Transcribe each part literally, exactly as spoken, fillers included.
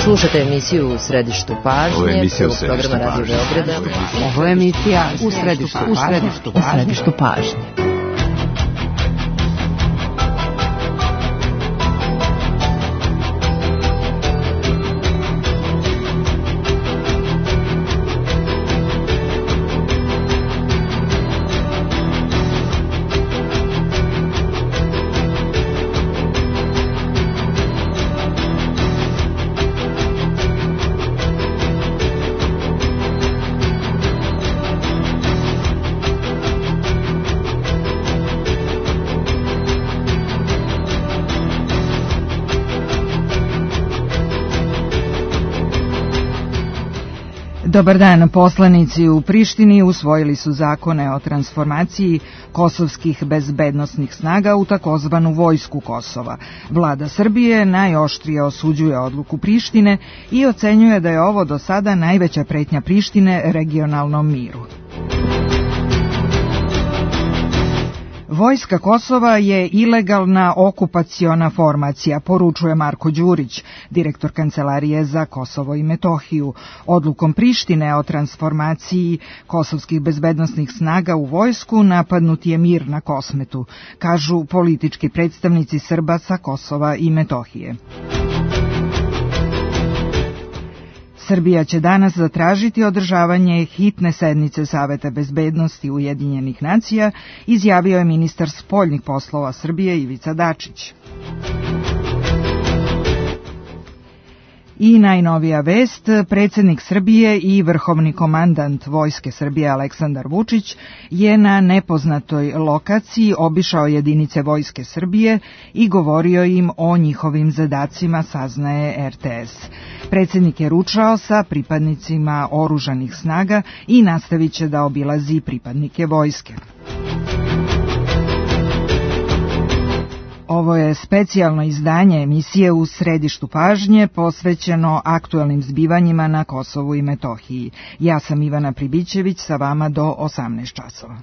Slušate emisiju U središtu pažnje. Ovo je emisija U središtu pažnje. Radio Beograda. Ovo je emisija U središtu pažnje. U središtu pažnje. Dobar dan, poslanici u Prištini usvojili su zakone o transformaciji kosovskih bezbednosnih snaga u takozvanu vojsku Kosova. Vlada Srbije najoštrije osuđuje odluku Prištine i ocenjuje da je ovo do sada najveća pretnja Prištine regionalnom miru. Vojska Kosova je ilegalna okupaciona formacija, poručuje Marko Đurić, direktor Kancelarije za Kosovo i Metohiju. Odlukom Prištine o transformaciji kosovskih bezbednosnih snaga u vojsku napadnut je mir na Kosmetu, kažu politički predstavnici Srba sa Kosova i Metohije. Srbija će danas zatražiti održavanje hitne sednice Saveta bezbednosti Ujedinjenih nacija, izjavio je ministar spoljnih poslova Srbije Ivica Dačić. I najnovija vest, predsjednik Srbije i vrhovni komandant Vojske Srbije Aleksandar Vučić je na nepoznatoj lokaciji obišao jedinice Vojske Srbije i govorio im o njihovim zadacima, saznaje er te es. Predsjednik je ručao sa pripadnicima oružanih snaga i nastavit će da obilazi pripadnike vojske. Ovo je specijalno izdanje emisije U središtu pažnje posvećeno aktuelnim zbivanjima na Kosovu i Metohiji. Ja sam Ivana Pribićević, sa vama do osamnaest časova.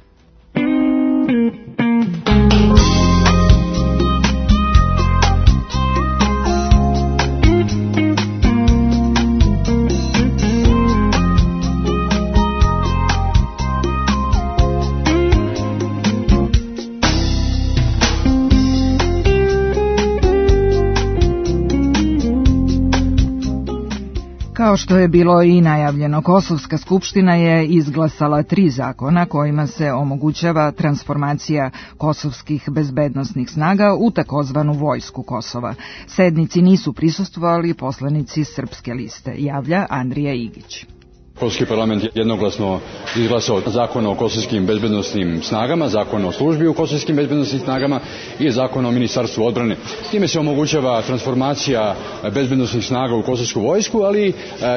Kao što je bilo i najavljeno, Kosovska skupština je izglasala tri zakona kojima se omogućava transformacija kosovskih bezbednosnih snaga u takozvanu vojsku Kosova. Sednici nisu prisustvovali poslanici Srpske liste, javlja Andrija Igić. Kosovski parlament je jednoglasno izglasao zakon o kosovskim bezbednosnim snagama, zakon o službi u kosovskim bezbednosnim snagama i zakon o ministarstvu odbrane. Time se omogućava transformacija bezbednosnih snaga u kosovsku vojsku, ali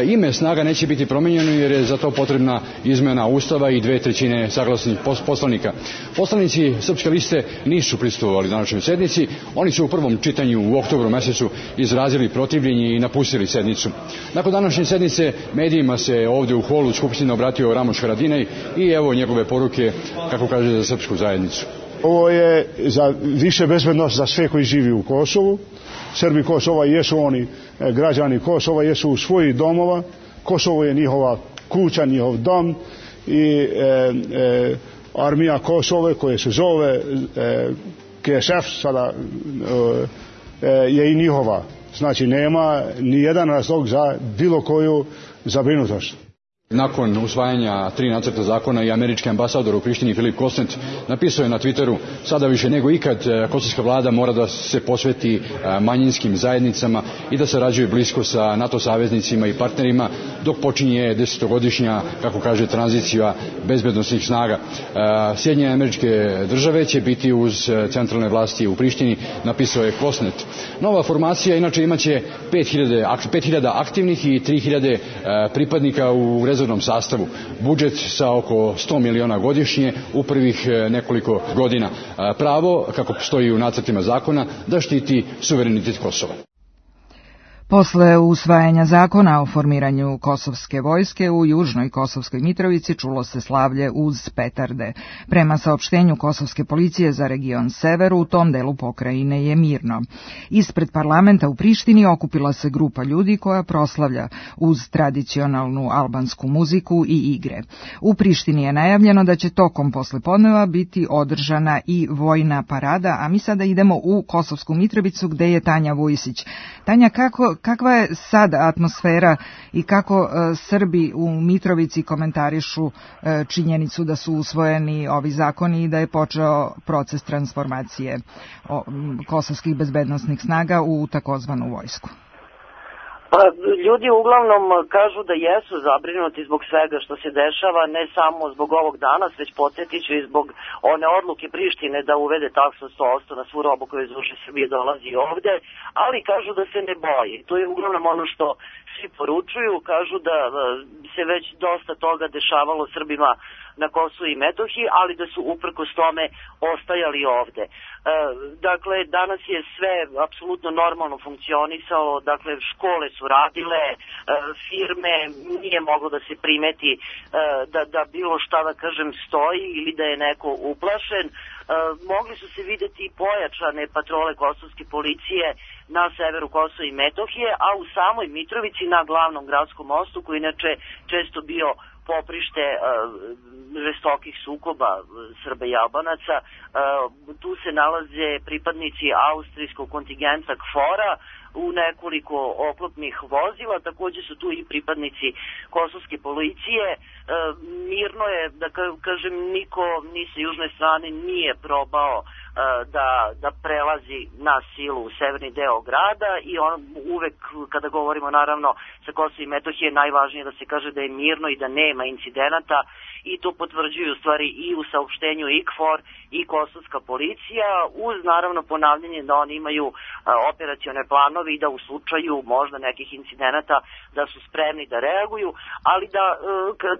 ime snaga neće biti promijenjeno jer je za to potrebna izmena Ustava i dve trećine saglasnih poslanika. Poslanici Srpske liste nisu prisustvovali današnjoj sednici. Oni su u prvom čitanju u oktobru mesecu izrazili protivljenje i napustili sednicu. Nakon današnje sednice medijima se ovdje u holu Skupštine obratio Ramoš Haradinaj i evo njegove poruke, kako kaže, za srpsku zajednicu. Ovo je za više bezbednost za sve koji živi u Kosovu. Srbi Kosova jesu oni građani Kosova, jesu u svojih domova. Kosovo je njihova kuća, njihov dom i e, e, armija Kosove koja se zove e, ke es ef sada e, je i njihova. Znači nema ni jedan razlog za bilo koju zabrinutost. Nakon usvajanja tri nacrta zakona i američki ambasador u Prištini Filip Kosnet napisao je na Twitteru: sada više nego ikad kosovska vlada mora da se posveti manjinskim zajednicama i da sarađuje blisko sa NATO saveznicima i partnerima dok počinje desetogodišnja, kako kaže, tranzicija bezbednosnih snaga. Sjedinjene Američke Države će biti uz centralne vlasti u Prištini, napisao je Kosnet. Nova formacija inače imaće pet hiljada aktivnih i tri hiljade pripadnika u rezervnom sastavu. Budžet sa oko sto miliona godišnje u prvih nekoliko godina. Pravo, kako stoji u nacrtima zakona, da štiti suverenitet Kosova. Posle usvajanja zakona o formiranju kosovske vojske u južnoj Kosovskoj Mitrovici čulo se slavlje uz petarde. Prema saopštenju kosovske policije za region Sever, u tom delu pokrajine je mirno. Ispred parlamenta u Prištini okupila se grupa ljudi koja proslavlja uz tradicionalnu albansku muziku i igre. U Prištini je najavljeno da će tokom poslepodneva biti održana i vojna parada, a mi sada idemo u Kosovsku Mitrovicu gde je Tanja Vujsić. Tanja, kako kakva je sad atmosfera i kako e, Srbi u Mitrovici komentarišu e, činjenicu da su usvojeni ovi zakoni i da je počeo proces transformacije o, kosovskih bezbednosnih snaga u takozvanu vojsku? Pa, ljudi uglavnom kažu da jesu zabrinuti zbog svega što se dešava, ne samo zbog ovog danas, već podsjetiću i zbog one odluke Prištine da uvede taksu sto posto na svu robu koja iz uže Srbije dolazi ovde, ali kažu da se ne boji. To je uglavnom ono što svi poručuju, kažu da se već dosta toga dešavalo Srbima na Kosovu i Metohiji, ali da su uprkos tome ostajali ovde. E, dakle, danas je sve apsolutno normalno funkcionisalo, dakle, škole su radile, e, firme, nije moglo da se primeti e, da, da bilo šta, da kažem, stoji ili da je neko uplašen. E, mogli su se videti i pojačane patrole kosovske policije na severu Kosova i Metohije, a u samoj Mitrovici na glavnom gradskom mostu, koji inače često bio poprište uh, žestokih sukoba Srba i Albanaca. Uh, tu se nalaze pripadnici austrijskog kontingenta KFOR-a u nekoliko oklopnih vozila, takođe su tu i pripadnici kosovske policije. Uh, mirno je, da kažem, niko ni sa južne strane nije probao da, da prelazi na silu u severni deo grada i on uvek, kada govorimo naravno sa Kosova i Metohije, najvažnije da se kaže da je mirno i da nema incidenata i to potvrđuju u stvari i u saopštenju i KFOR i kosovska policija, uz naravno ponavljanje da oni imaju a, operacione planove i da u slučaju možda nekih incidenata da su spremni da reaguju, ali da, a,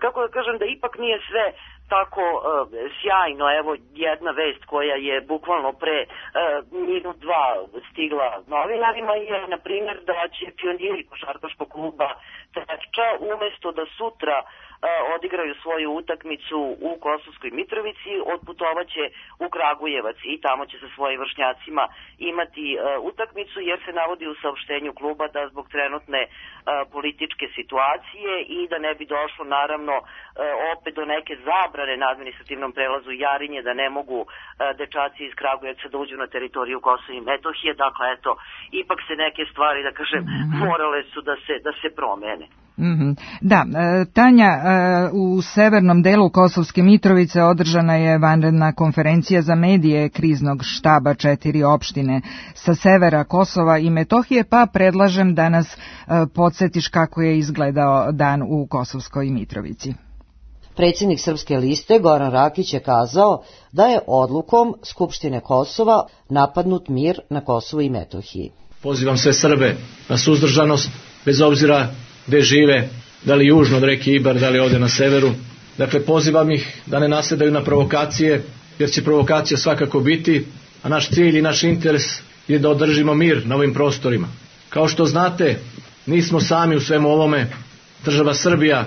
kako da kažem, da ipak nije sve tako uh, sjajno. Evo jedna vest koja je bukvalno pre uh, minut dva stigla novinarima je, na primjer, da će pioniri košarkaškog kluba Trepča umesto da sutra uh, odigraju svoju utakmicu u Kosovskoj Mitrovici, otputovaće u Kragujevac i tamo će sa svojim vršnjacima imati uh, utakmicu, jer se navodi u saopštenju kluba da zbog trenutne uh, političke situacije i da ne bi došlo naravno uh, opet do neke zabrane na administrativnom prelazu Jarinje, da ne mogu uh, dečaci iz Kragujevca da uđu na teritoriju Kosova i Metohije. Dakle, eto, ipak se neke stvari, da kažem, morale su da se, da se promene. Mm-hmm. Da, Tanja, u severnom delu Kosovske Mitrovice održana je vanredna konferencija za medije kriznog štaba četiri opštine sa severa Kosova i Metohije, pa predlažem da nas podsjetiš kako je izgledao dan u Kosovskoj Mitrovici. Predsjednik Srpske liste Goran Rakić je kazao da je odlukom Skupštine Kosova napadnut mir na Kosovu i Metohiji. Pozivam sve Srbe na suzdržanost, bez obzira gde žive, da li južno od reke Ibar, da li ovde na severu. Dakle, pozivam ih da ne nasedaju na provokacije, jer će provokacija svakako biti, a naš cilj i naš interes je da održimo mir na ovim prostorima. Kao što znate, nismo sami u svemu ovome. Država Srbija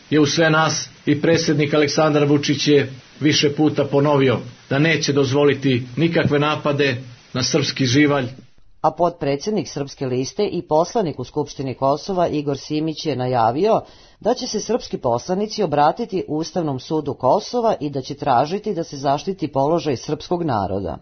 je u sve nas i predsjednik Aleksandar Vučić je više puta ponovio da neće dozvoliti nikakve napade na srpski živalj. A potpredsjednik Srpske liste i poslanik u Skupštini Kosova Igor Simić je najavio da će se srpski poslanici obratiti Ustavnom sudu Kosova i da će tražiti da se zaštiti položaj srpskog naroda.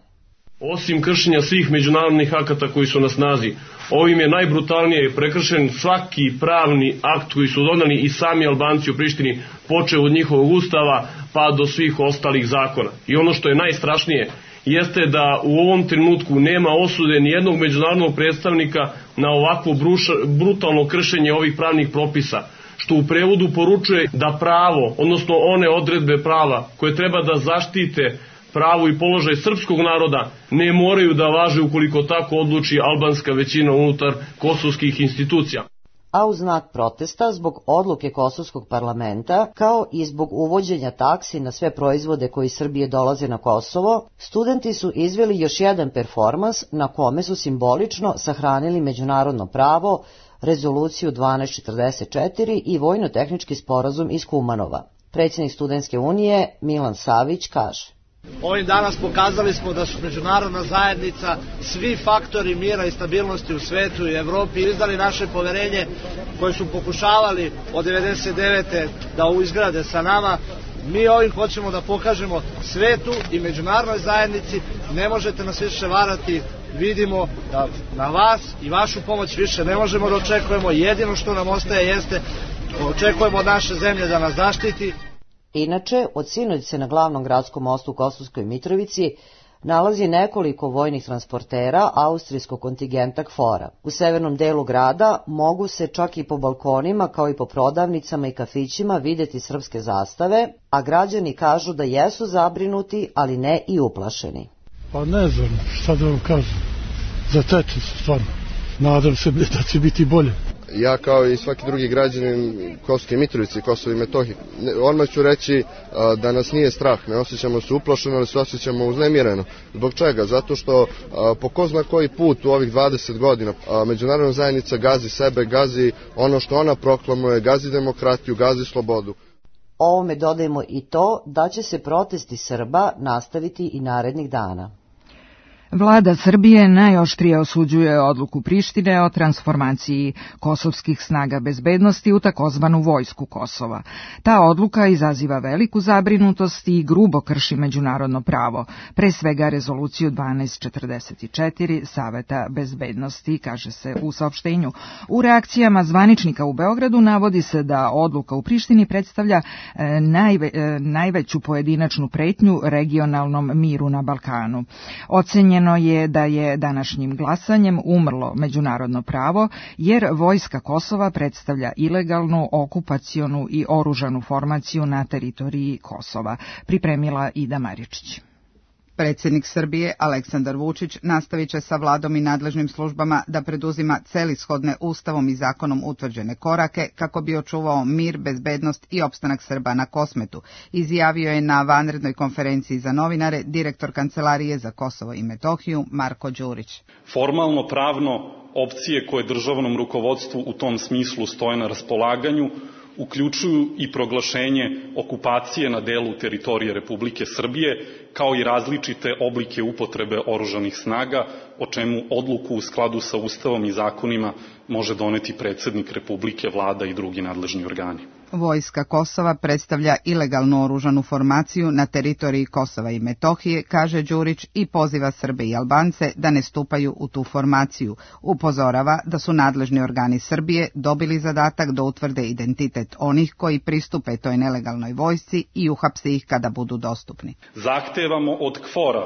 Osim kršenja svih međunarodnih akata koji su na snazi, ovim je najbrutalnije prekršen svaki pravni akt koji su doneli i sami Albanci u Prištini, počeo od njihovog ustava pa do svih ostalih zakona. I ono što je najstrašnije jeste da u ovom trenutku nema osude ni jednog međunarodnog predstavnika na ovakvo bruša, brutalno kršenje ovih pravnih propisa, što u prevodu poručuje da pravo, odnosno one odredbe prava koje treba da zaštite pravo i položaj srpskog naroda, ne moraju da važe ukoliko tako odluči albanska većina unutar kosovskih institucija. a u znak protesta zbog odluke kosovskog parlamenta, kao i zbog uvođenja taksi na sve proizvode koji iz Srbije dolaze na Kosovo, studenti su izveli još jedan performans na kome su simbolično sahranili međunarodno pravo, rezoluciju dvanaest četrdeset četiri i vojno-tehnički sporazum iz Kumanova. Predsjednik Studentske unije Milan Savić kaže: Ovim danas pokazali smo da su međunarodna zajednica, svi faktori mira i stabilnosti u svetu i Evropi izdali naše poverenje koje su pokušavali od devedeset devete da izgrade sa nama. Mi ovim hoćemo da pokažemo svetu i međunarodnoj zajednici, ne možete nas više varati, vidimo da na vas i vašu pomoć više ne možemo da očekujemo, jedino što nam ostaje jeste očekujemo od naše zemlje da nas zaštiti. Inače, od sinoć se na glavnom gradskom mostu u Kosovskoj Mitrovici nalazi nekoliko vojnih transportera austrijskog kontingenta KFOR-a. U severnom delu grada mogu se čak i po balkonima kao i po prodavnicama i kafićima videti srpske zastave, a građani kažu da jesu zabrinuti, ali ne i uplašeni. Pa ne znam šta da vam kažem, zateče se stvarno, nadam se da će biti bolje. Ja kao i svaki drugi građanin Kosovske Mitrovice i Kosova i Metohije, odmah ću reći da nas nije strah, ne osjećamo se uplašeno, ali se osjećamo uznemireno. Zbog čega? Zato što po ko zna koji put u ovih dvadeset godina međunarodna zajednica gazi sebe, gazi ono što ona proklamuje, gazi demokratiju, gazi slobodu. Ovome dodajemo i to da će se protesti Srba nastaviti i narednih dana. Vlada Srbije najoštrije osuđuje odluku Prištine o transformaciji kosovskih snaga bezbednosti u takozvanu vojsku Kosova. Ta odluka izaziva veliku zabrinutost i grubo krši međunarodno pravo, pre svega rezoluciju dvanaest četrdeset četiri Saveta bezbednosti, kaže se u saopštenju. U reakcijama zvaničnika u Beogradu navodi se da odluka u Prištini predstavlja najve, najveću pojedinačnu pretnju regionalnom miru na Balkanu. Ocenjeno je da je današnjim glasanjem umrlo međunarodno pravo, jer vojska Kosova predstavlja ilegalnu, okupacionu i oružanu formaciju na teritoriji Kosova, pripremila Ida Maričić. Predsjednik Srbije Aleksandar Vučić nastavit će sa vladom i nadležnim službama da preduzima celishodne ustavom i zakonom utvrđene korake kako bi očuvao mir, bezbednost i opstanak Srba na Kosmetu, izjavio je na vanrednoj konferenciji za novinare direktor Kancelarije za Kosovo i Metohiju Marko Đurić. Formalno pravno opcije koje državnom rukovodstvu u tom smislu stoje na raspolaganju uključuju i proglašenje okupacije na delu teritorije Republike Srbije, kao i različite oblike upotrebe oružanih snaga, o čemu odluku u skladu sa Ustavom i zakonima može doneti predsjednik Republike, vlada i drugi nadležni organi. Vojska Kosova predstavlja ilegalnu oružanu formaciju na teritoriji Kosova i Metohije, kaže Đurić, i poziva Srbe i Albance da ne stupaju u tu formaciju. Upozorava da su nadležni organi Srbije dobili zadatak da utvrde identitet onih koji pristupe toj nelegalnoj vojsci i uhapse ih kada budu dostupni. Zahtevamo od KFOR-a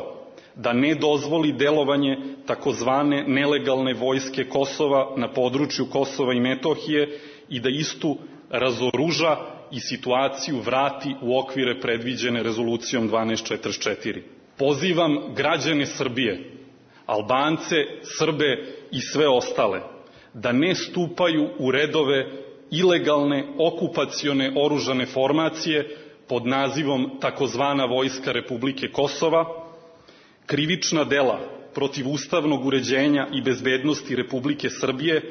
da ne dozvoli delovanje takozvane nelegalne vojske Kosova na području Kosova i Metohije i da istu razoruža i situaciju vrati u okvire predviđene rezolucijom dvanaest četrdeset četiri. Pozivam građane Srbije, Albance, Srbe i sve ostale da ne stupaju u redove ilegalne okupacione oružane formacije pod nazivom takozvana vojska Republike Kosova. Krivična dela protiv ustavnog uređenja i bezbednosti Republike Srbije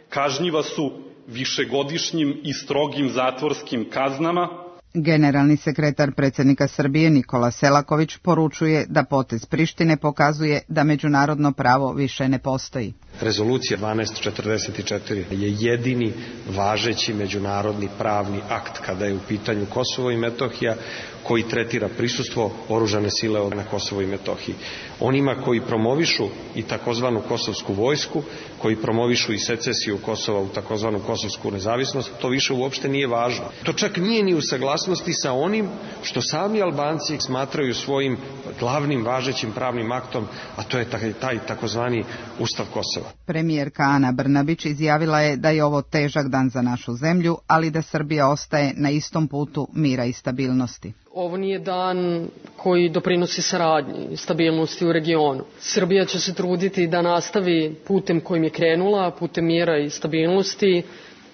kažnjiva su višegodišnjim i strogim zatvorskim kaznama. Generalni sekretar predsjednika Srbije Nikola Selaković poručuje da potez Prištine pokazuje da međunarodno pravo više ne postoji. Rezolucija dvanaest četrdeset četiri je jedini važeći međunarodni pravni akt kada je u pitanju Kosovo i Metohija koji tretira prisustvo oružane sile na Kosovo i Metohiji. Onima koji promovišu i takozvanu kosovsku vojsku, koji promovišu i secesiju Kosova u takozvanu kosovsku nezavisnost, to više uopšte nije važno. To čak nije ni u saglasnosti sa onim što sami Albanci smatraju svojim glavnim važećim pravnim aktom, a to je taj, taj takozvani Ustav Kosova. Premijerka Ana Brnabić izjavila je da je ovo težak dan za našu zemlju, ali da Srbija ostaje na istom putu mira i stabilnosti. Ovo nije dan koji doprinosi saradnji i stabilnosti u regionu. Srbija će se truditi da nastavi putem kojim je krenula, putem mira i stabilnosti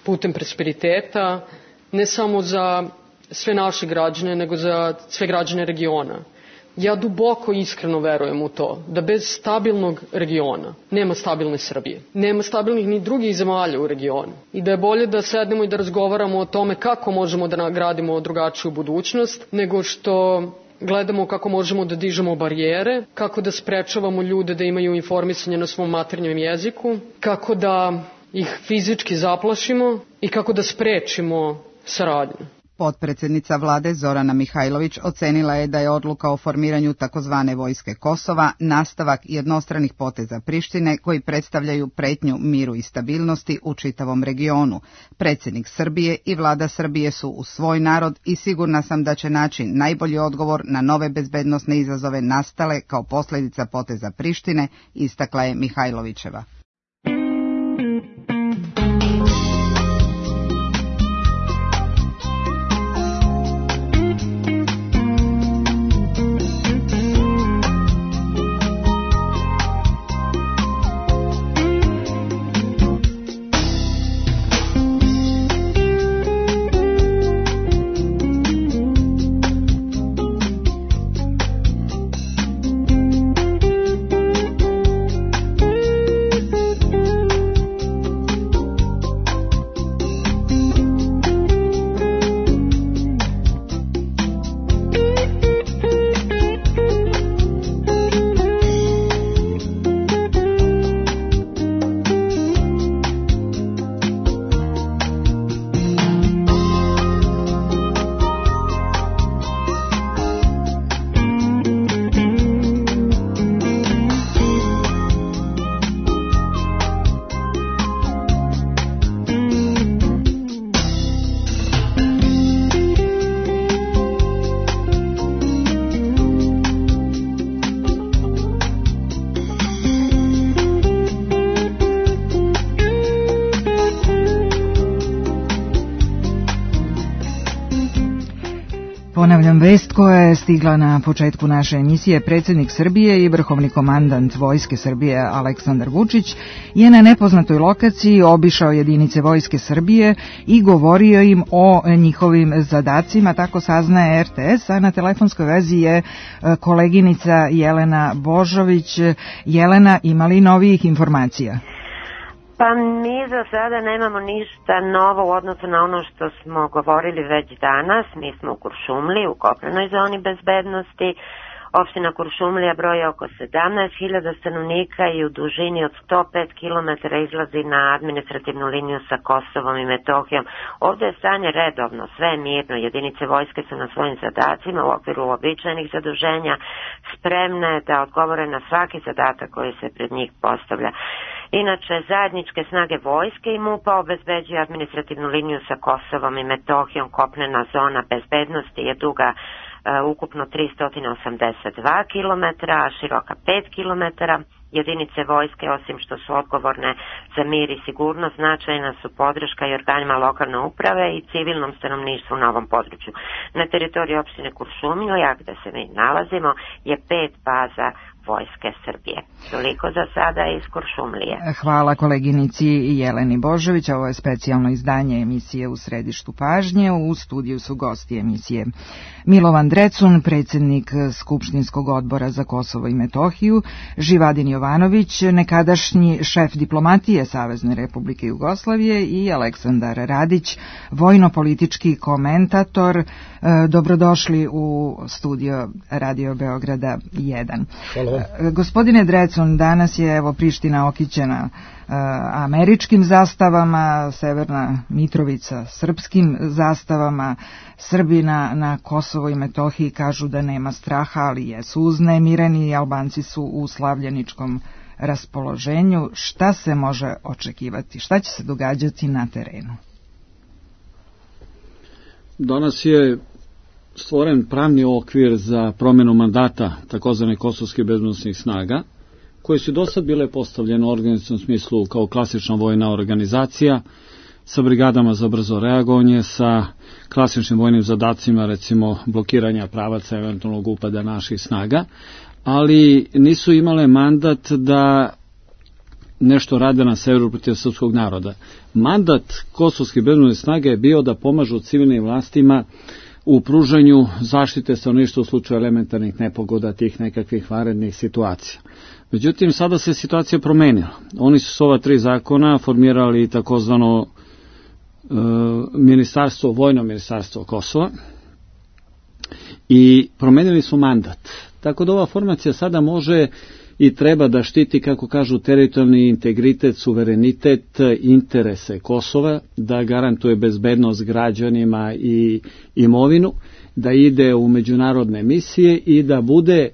putem prosperiteta, ne samo za sve naše građane, nego za sve građane regiona. Ja duboko iskreno verujem u to da bez stabilnog regiona nema stabilne Srbije. Nema stabilnih ni drugih zemalja u regionu. I da je bolje da sednemo i da razgovaramo o tome kako možemo da nagradimo drugačiju budućnost, nego što gledamo kako možemo da dižemo barijere, kako da sprečavamo ljude da imaju informisanje na svom maternjem jeziku, kako da ih fizički zaplašimo i kako da sprečimo saradnju. Potpredsjednica vlade Zorana Mihajlović ocenila je da je odluka o formiranju takozvane vojske Kosova nastavak jednostranih poteza Prištine koji predstavljaju pretnju miru i stabilnosti u čitavom regionu. Predsjednik Srbije i vlada Srbije su u svoj narod i sigurna sam da će naći najbolji odgovor na nove bezbednosne izazove nastale kao posljedica poteza Prištine, istakla je Mihajlovićeva. Ponavljam vest koja je stigla na početku naše emisije. Predsjednik Srbije i vrhovni komandant Vojske Srbije Aleksandar Vučić je na nepoznatoj lokaciji obišao jedinice Vojske Srbije i govorio im o njihovim zadacima, tako saznaje R T S, a na telefonskoj vezi je koleginica Jelena Božović. Jelena, ima li novijih informacija? Pa mi za sada nemamo ništa novo u odnosu na ono što smo govorili već danas. Mi smo u Kuršumliji, u kopnenoj zoni bezbednosti. Opština Kuršumlija broji oko sedamnaest hiljada stanovnika i u dužini od sto pet kilometara izlazi na administrativnu liniju sa Kosovom i Metohijom. Ovdje je stanje redovno, sve je mirno. Jedinice vojske su na svojim zadacima u okviru uobičajenih zaduženja spremne da odgovore na svaki zadatak koji se pred njih postavlja. Inače, zajedničke snage vojske i MUP-a obezbeđuju administrativnu liniju sa Kosovom i Metohijom. Kopnena zona bezbednosti je duga uh, ukupno tristo osamdeset dva kilometra, a široka pet kilometara. Jedinice vojske, osim što su odgovorne za mir i sigurnost, značajna su podrška i organima lokalne uprave i civilnom stanovništvu na ovom području. Na teritoriji opštine Kuršumlija, gde se mi nalazimo, je pet baza Vojske Srbije. Toliko za sada iz Kuršumlije. Hvala koleginici Jeleni Božović. Ovo je specijalno izdanje emisije U središtu pažnje. U studiju su gosti emisije Milovan Drecun, predsjednik Skupštinskog odbora za Kosovo i Metohiju, Živadin Jovanović, nekadašnji šef diplomatije Savezne Republike Jugoslavije i Aleksandar Radić, vojno-politički komentator. Dobrodošli u studio Radio Beograda jedan. Hvala. Gospodine Drecun, danas je evo Priština okićena uh, američkim zastavama, Severna Mitrovica srpskim zastavama. Srbi na, na Kosovo i Metohiji kažu da nema straha, ali jesu uznemireni i Albanci su u slavljeničkom raspoloženju. Šta se može očekivati? Šta će se događati na terenu? Danas je stvoren pravni okvir za promjenu mandata takozvane kosovske bezbednosnih snaga, koje su do sad bile postavljene u organizacijnom smislu kao klasična vojna organizacija, sa brigadama za brzo reagovanje, sa klasičnim vojnim zadacima, recimo blokiranja pravaca eventualnog upada naših snaga, ali nisu imale mandat da nešto rade na severu protiv srpskog naroda. Mandat kosovskih bezbednosnih snaga je bio da pomažu civilnim vlastima u pružanju zaštite stanovništva u slučaju elementarnih nepogoda, tih nekakvih vanrednih situacija. Međutim, sada se situacija promenila. Oni su s ova tri zakona formirali takozvano e, ministarstvo, vojno ministarstvo Kosova i promenili su mandat. Tako da ova formacija sada može i treba da štiti, kako kažu, teritorijalni integritet, suverenitet, interese Kosova, da garantuje bezbednost građanima i imovinu, da ide u međunarodne misije i da bude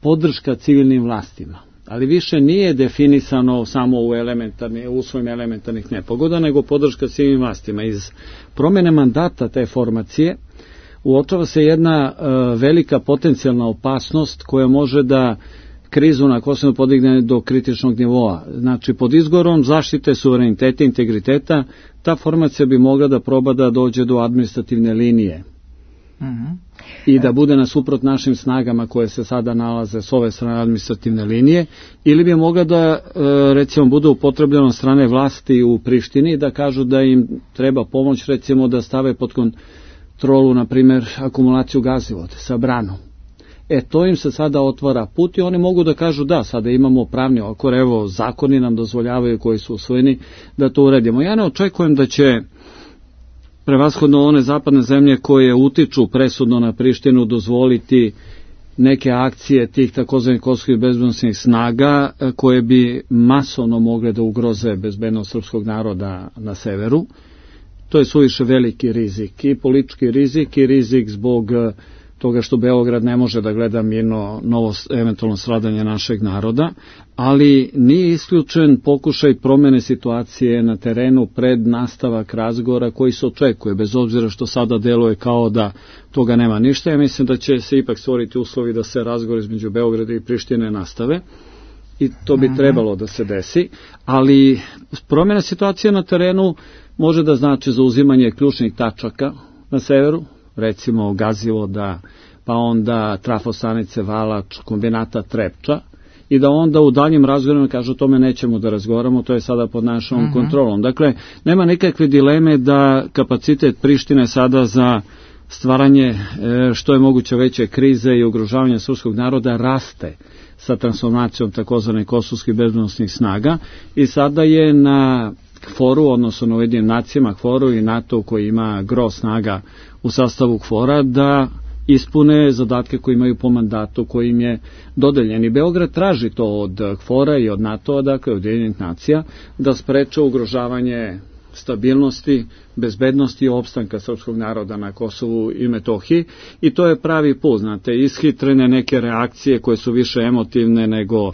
podrška civilnim vlastima. Ali više nije definisano samo u, elementarni, u svojim elementarnih nepogoda, nego podrška civilnim vlastima. Iz promene mandata te formacije uočava se jedna uh, velika potencijalna opasnost koja može da krizu na Kosovu podigne do kritičnog nivoa. Znači, pod izgovorom zaštite suvereniteta i integriteta, ta formacija bi mogla da proba da dođe do administrativne linije. Mm-hmm. I da bude nasuprot našim snagama koje se sada nalaze s ove strane administrativne linije, ili bi mogla da, recimo, bude upotrebljeno strane vlasti u Prištini i da kažu da im treba pomoć, recimo, da stave pod kontrolu, na primjer, akumulaciju gazivoda sa branom. E, to im se sada otvara put i oni mogu da kažu da, sada imamo pravni okvir, evo, zakoni nam dozvoljavaju koji su usvojeni da to uredimo. Ja ne očekujem da će prevashodno one zapadne zemlje koje utiču presudno na Prištinu dozvoliti neke akcije tih takozvanih kosovskih bezbednosnih snaga koje bi masovno mogle da ugroze bezbednost srpskog naroda na severu. To je suviše veliki rizik, i politički rizik i rizik zbog toga što Beograd ne može da gleda mirno novo eventualno stradanje našeg naroda, ali nije isključen pokušaj promene situacije na terenu pred nastavak razgovora koji se očekuje, bez obzira što sada deluje kao da toga nema ništa. Ja mislim da će se ipak stvoriti uslovi da se razgovor između Beograda i Prištine nastave i to bi trebalo da se desi, ali promjena situacije na terenu može da znači zauzimanje ključnih tačaka na severu, recimo Gazivoda, pa onda trafostanice Valač, kombinata Trepča, i da onda u daljim razgovorima kažu o tome nećemo da razgovaramo, to je sada pod našom uh-huh. kontrolom. Dakle, nema nikakve dileme da kapacitet Prištine sada za stvaranje e, što je moguće veće krize i ugrožavanja srpskog naroda raste sa transformacijom takozvanih kosovskih bezbednosnih snaga i sada je na KFOR-u, odnosno na Ujedinjenim nacijama, KFOR-u i NATO koji ima gro snaga u sastavu KFOR-a da ispune zadatke koje imaju po mandatu koji im je dodeljen. I Beograd traži to od KFOR-a i od NATO-a, dakle od Ujedinjenih nacija, da spreče ugrožavanje stabilnosti, bezbednosti i opstanka srpskog naroda na Kosovu i Metohiji i to je pravi put, znate, ishitrene neke reakcije koje su više emotivne nego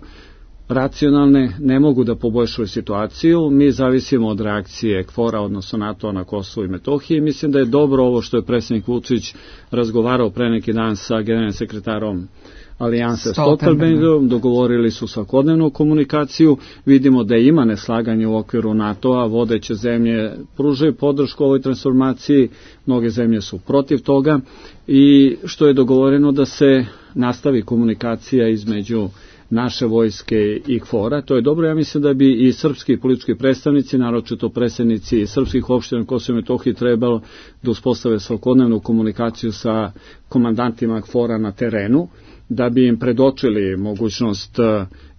racionalne, ne mogu da poboljšaju situaciju. Mi zavisimo od reakcije KFOR-a, odnosno NATO na Kosovu i Metohiji. Mislim da je dobro ovo što je predsjednik Vučić razgovarao pre neki dan sa generalnim sekretarom Alijanse Stoltenbergom, dogovorili su svakodnevnu komunikaciju, vidimo da ima neslaganje u okviru NATO-a, vodeće zemlje pružaju podršku ovoj transformaciji, mnoge zemlje su protiv toga i što je dogovoreno da se nastavi komunikacija između naše vojske i KFOR-a. To je dobro, ja mislim da bi i srpski politički predstavnici, naročito predstavnici srpskih opština Kosova i Metohije trebalo da uspostave svakodnevnu komunikaciju sa komandantima KFOR-a na terenu, da bi im predočili mogućnost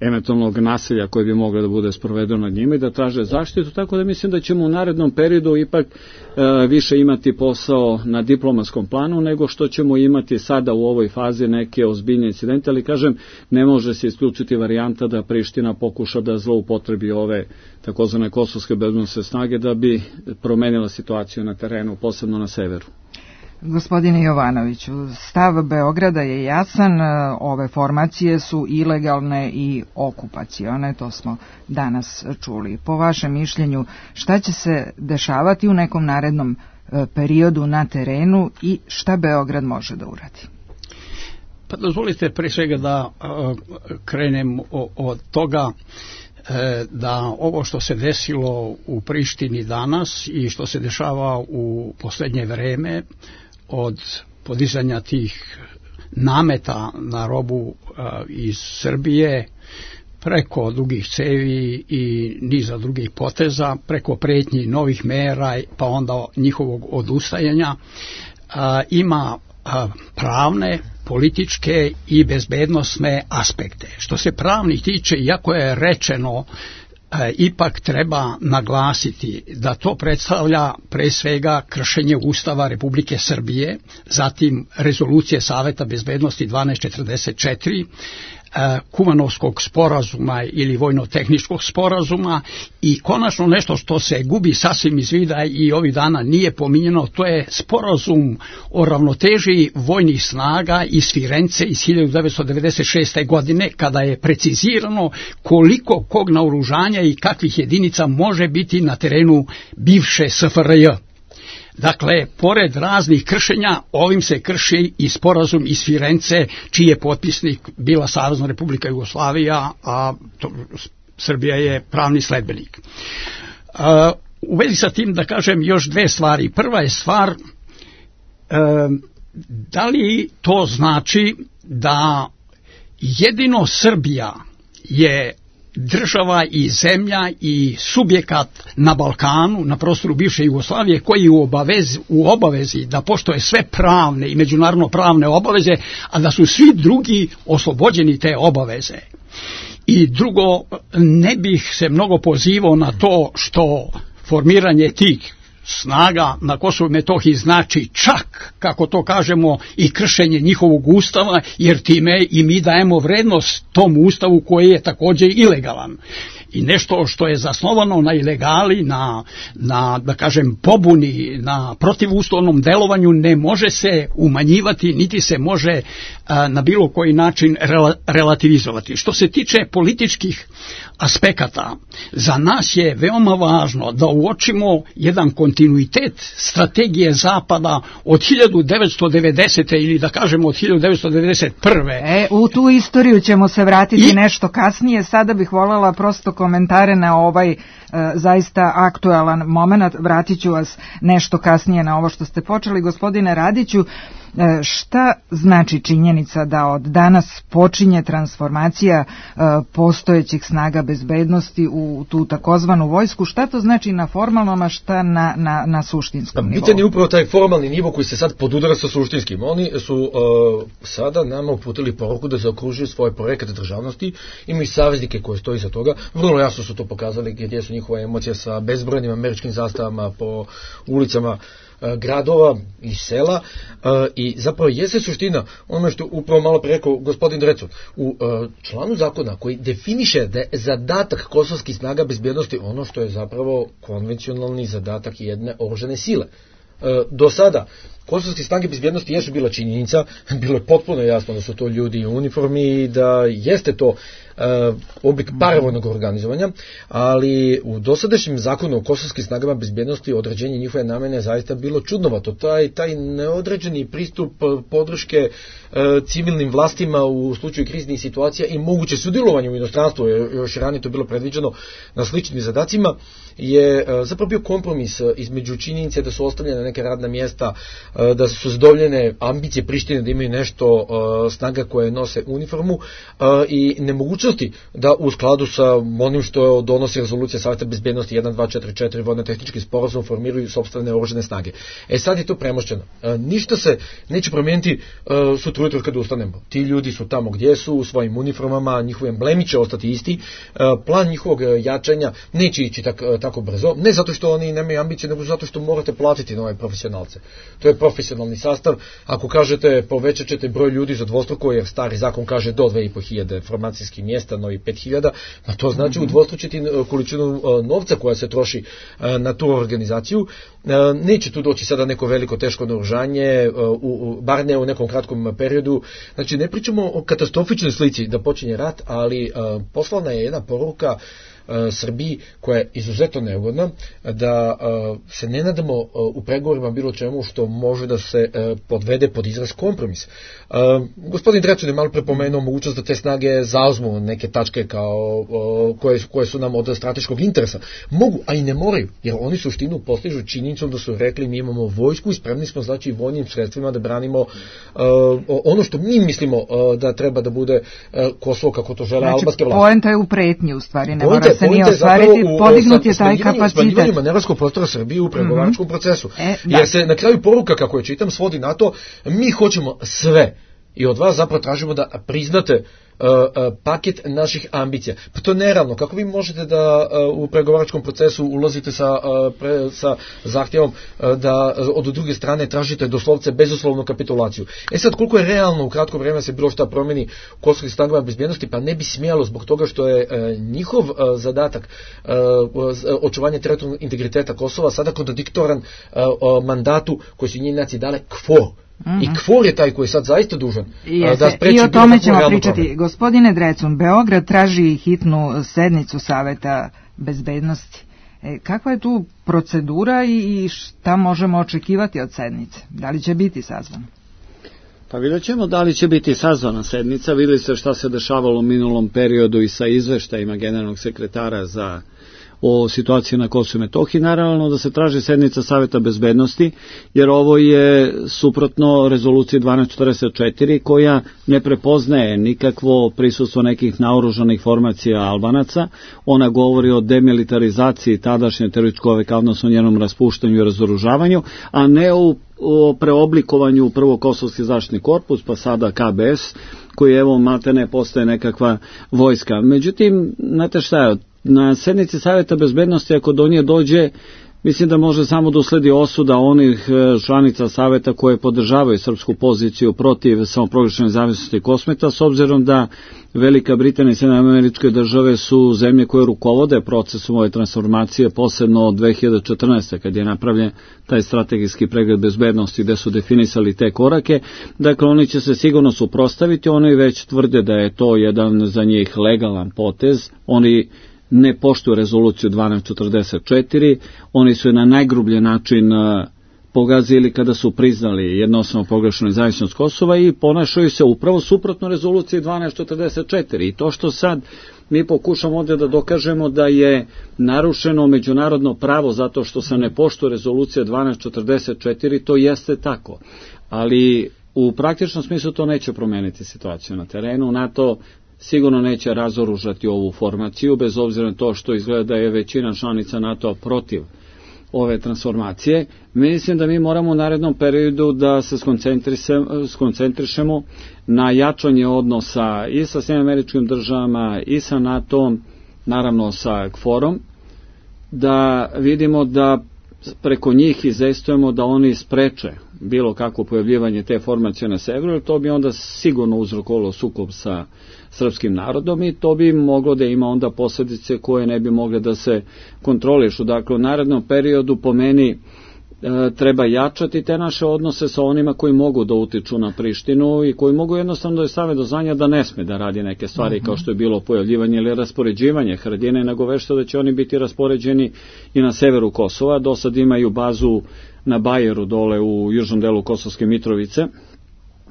eventualnog nasilja koje bi moglo da bude sprovedeno nad njima i da traže zaštitu, tako da mislim da ćemo u narednom periodu ipak e, više imati posao na diplomatskom planu nego što ćemo imati sada u ovoj fazi neke ozbiljne incidente, ali kažem, ne može se isključiti varijanta da Priština pokuša da zloupotrebi ove takozvane kosovske bezbednosne snage da bi promenila situaciju na terenu, posebno na severu. Gospodine Jovanoviću, stav Beograda je jasan, ove formacije su ilegalne i okupacione, to smo danas čuli. Po vašem mišljenju, šta će se dešavati u nekom narednom periodu na terenu i šta Beograd može da uradi? Pa dozvolite pre svega da uh, krenem o, od toga da ovo što se desilo u Prištini danas i što se dešava u poslednje vreme od podizanja tih nameta na robu iz Srbije preko dugih cevi i niza drugih poteza, preko pretnji novih mera pa onda njihovog odustajanja, ima pravne, političke i bezbednosne aspekte. Što se pravnih tiče, iako je rečeno, ipak treba naglasiti da to predstavlja pre svega kršenje Ustava Republike Srbije, zatim rezolucije Saveta bezbednosti dvanaest četrdeset četiri, Kumanovskog sporazuma ili vojno-tehničkog sporazuma i konačno nešto što se gubi sasvim iz vida i ovih dana nije pominjeno, to je sporazum o ravnoteži vojnih snaga iz Firence iz hiljadu devetsto devedeset šeste. godine, kada je precizirano koliko kog naoružanja i kakvih jedinica može biti na terenu bivše S F R J. Dakle, pored raznih kršenja, ovim se krši i sporazum iz Firence, čiji je potpisnik bila Savezna Republika Jugoslavija, a to, Srbija je pravni sledbenik. Uh, u vezi sa tim da kažem još dve stvari. Prva je stvar, uh, da li to znači da jedino Srbija je država i zemlja i subjekat na Balkanu, na prostoru bivše Jugoslavije, koji je u obavezi, u obavezi da poštoje sve pravne i međunarodno pravne obaveze, a da su svi drugi oslobođeni te obaveze. I drugo, ne bih se mnogo pozivao na to što formiranje tih snaga na Kosovu i Metohiji znači čak, kako to kažemo, i kršenje njihovog ustava, jer time i mi dajemo vrednost tom ustavu koji je također ilegalan. I nešto što je zasnovano na ilegali, na, na da kažem, pobuni, na protivustavnom delovanju ne može se umanjivati, niti se može a, na bilo koji način rela, relativizovati. Što se tiče političkih aspekata, za nas je veoma važno da uočimo jedan kontinuitet strategije Zapada od hiljadu devetsto devedesete. ili da kažemo od hiljadu devetsto devedeset prve. E, u tu istoriju ćemo se vratiti I... nešto kasnije. Sada bih voljela prosto komentare na ovaj e, zaista aktualan moment. Vratit ću vas nešto kasnije na ovo što ste počeli. Gospodine Radiću, e, šta znači činjenica da od danas počinje transformacija e, postojećih snaga bezbednosti u tu takozvanu vojsku? Šta to znači na formalnom, a šta na, na, na suštinskom nivou? Pitanje je upravo taj formalni nivo koji se sad podudara sa suštinskim. Oni su uh, sada nama uputili poruku da zaokružuju svoje projekte državnosti, imaju saveznike koji stoji za toga. Vrlo jasno su to pokazali gdje su njihova emocija sa bezbrojnim američkim zastavama po ulicama uh, gradova i sela uh, i zapravo jeste suština ono što upravo malo pre rekao gospodin Drecun u uh, članu zakona koji definiše da je zadatak kosovskih snaga bezbjednosti ono što je zapravo konvencionalni zadatak jedne oružane sile. Uh, do sada kosovske snage bezbjednosti jesu bila činjenica, bilo je potpuno jasno da su to ljudi u uniformi i da jeste to uh, oblik paravojnog organizovanja, ali u dosadašnjem zakonu o kosovskim snagama bezbjednosti određenje njihove namene zaista bilo čudnovato. Taj, taj neodređeni pristup podrške uh, civilnim vlastima u slučaju kriznih situacija i moguće sudjelovanje u inostranstvu, još ranije to bilo predviđeno na sličnim zadacima, je uh, zapravo bio kompromis između činjenice da su ostavljene neke radna mjesta, da su zadovoljene ambicije Prištine da imaju nešto uh, snaga koje nose uniformu uh, i nemogućnosti da u skladu sa onim što donosi rezolucija Saveta bezbednosti jedan dva četiri četiri vojno-tehnički sporazum formiraju sopstvene oružane snage. E sad je to premošćeno. Uh, ništa se neće promijeniti uh, sutra ujutro kada ustanemo. Ti ljudi su tamo gdje su, u svojim uniformama, njihovi emblemi će ostati isti. Uh, plan njihovog jačanja neće ići tak, uh, tako brzo. Ne zato što oni nemaju ambicije, nego zato što morate platiti nove profesionalce. To je profesionalni sastav. Ako kažete povećat ćete broj ljudi za dvostruko, jer stari zakon kaže do dve i po hiljade formacijskih mjesta, novi pet hiljada, a to znači mm-hmm. udvostručiti količinu novca koja se troši na tu organizaciju. Neće tu doći sada neko veliko teško naoružanje, bar ne u nekom kratkom periodu. Znači ne pričamo o katastrofičnoj slici da počinje rat, ali poslana je jedna poruka Srbiji, koja je izuzetno neugodna, da se ne nadamo u pregovorima bilo čemu što može da se podvede pod izraz kompromis. Gospodin Drecun je malo prepomenuo mogućnost da te snage zauzmu neke tačke kao, koje, koje su nam od strateškog interesa. Mogu, a i ne moraju, jer oni suštinu postižu činjenicom da su rekli mi imamo vojsku i spremni smo znači i vojnim sredstvima da branimo uh, ono što mi mislimo uh, da treba da bude uh, Kosovo kako to žele znači, albanske vlasti. Poenta je u pretnji u stvari, ne mora se ni ostvariti, podignut je taj kapacitet. Smanjivanju manevarskog prostora Srbije u pregovaračkom mm-hmm. procesu. E, jer se na kraju poruka, kako je čitam, svodi na to, mi hoćemo sve i od vas zapravo tražimo da priznate Uh, uh, paket naših ambicija. Pa to je neravno. Kako vi možete da uh, u pregovaračkom procesu ulazite sa, uh, pre, sa zahtjevom uh, da uh, od druge strane tražite doslovce bezuslovnu kapitulaciju? E sad, koliko je realno u kratko vreme se bilo šta promeni u kosovskim snagama bezbjednosti, pa ne bi smjelo zbog toga što je uh, njihov uh, zadatak uh, očuvanje teritorijalnog integriteta Kosova sada kontradiktoran uh, uh, mandatu koji su njih nacije dale KFOR. Mm-hmm. I KFOR je taj koji je sad zaista dužan Jeste. da spreči. I o tome ćemo pričati. Problem. Gospodine Drecun, Beograd traži hitnu sednicu Saveta bezbednosti. E, kakva je tu procedura i šta možemo očekivati od sednice? Da li će biti sazvana? Pa vidjet ćemo da li će biti sazvana sednica. Vidjeli ste šta se dešavalo u minulom periodu i sa izveštajima generalnog sekretara za o situaciji na Kosovu i Metohiji, naravno da se traži sednica Saveta bezbednosti, jer ovo je suprotno rezoluciji dvanaest četrdeset četiri koja ne prepoznaje nikakvo prisustvo nekih naoružanih formacija Albanaca. Ona govori o demilitarizaciji tadašnje terorističke OVK, odnosno njenom raspuštanju i razoružavanju, a ne u o preoblikovanju prvo Kosovski zaštitni korpus, pa sada K B S, koji evo maltene postaje nekakva vojska. Međutim, znate šta je, na sednici Saveta bezbednosti ako do nje dođe, mislim da može samo da usledi osuda onih članica Saveta koje podržavaju srpsku poziciju protiv samoproglašene nezavisnosti Kosmeta, s obzirom da Velika Britanija i Sjedinjene Američke Države su zemlje koje rukovode procesom ove transformacije, posebno od dve hiljade četrnaeste. kad je napravljen taj strategijski pregled bezbednosti gde su definisali te korake. Dakle, oni će se sigurno suprotstaviti, oni već tvrde da je to jedan za njih legalan potez. Oni ne poštuju rezoluciju dvanaest četrdeset četiri, oni su je na najgrublji način pogazili kada su priznali jednostavno proglašenu nezavisnost Kosova i ponašaju se upravo suprotno rezoluciji dvanaest četrdeset četiri. I to što sad mi pokušamo ovdje da dokažemo da je narušeno međunarodno pravo zato što se ne poštuje rezolucija dvanaest četrdeset četiri, to jeste tako. Ali u praktičnom smislu to neće promeniti situaciju na terenu. NATO sigurno neće razoružati ovu formaciju, bez obzira na to što izgleda da je većina članica NATO protiv ove transformacije. Mislim da mi moramo u narednom periodu da se skoncentrišemo na jačanje odnosa i sa Sjedinjenim Američkim Državama i sa NATO-om, naravno sa KFOR-om, da vidimo da preko njih izvestujemo da oni spreče bilo kako pojavljivanje te formacije na severu, to bi onda sigurno uzrokovalo sukob sa srpskim narodom i to bi moglo da ima onda posljedice koje ne bi mogle da se kontrolišu. Dakle, u narednom periodu po meni e, treba jačati te naše odnose sa onima koji mogu da utiču na Prištinu i koji mogu jednostavno da je stave do znanja da ne sme da radi neke stvari uh-huh. kao što je bilo pojavljivanje ili raspoređivanje Haradine, nego vešto da će oni biti raspoređeni i na severu Kosova. Do sad imaju bazu na Bajeru dole u južnom delu Kosovske Mitrovice,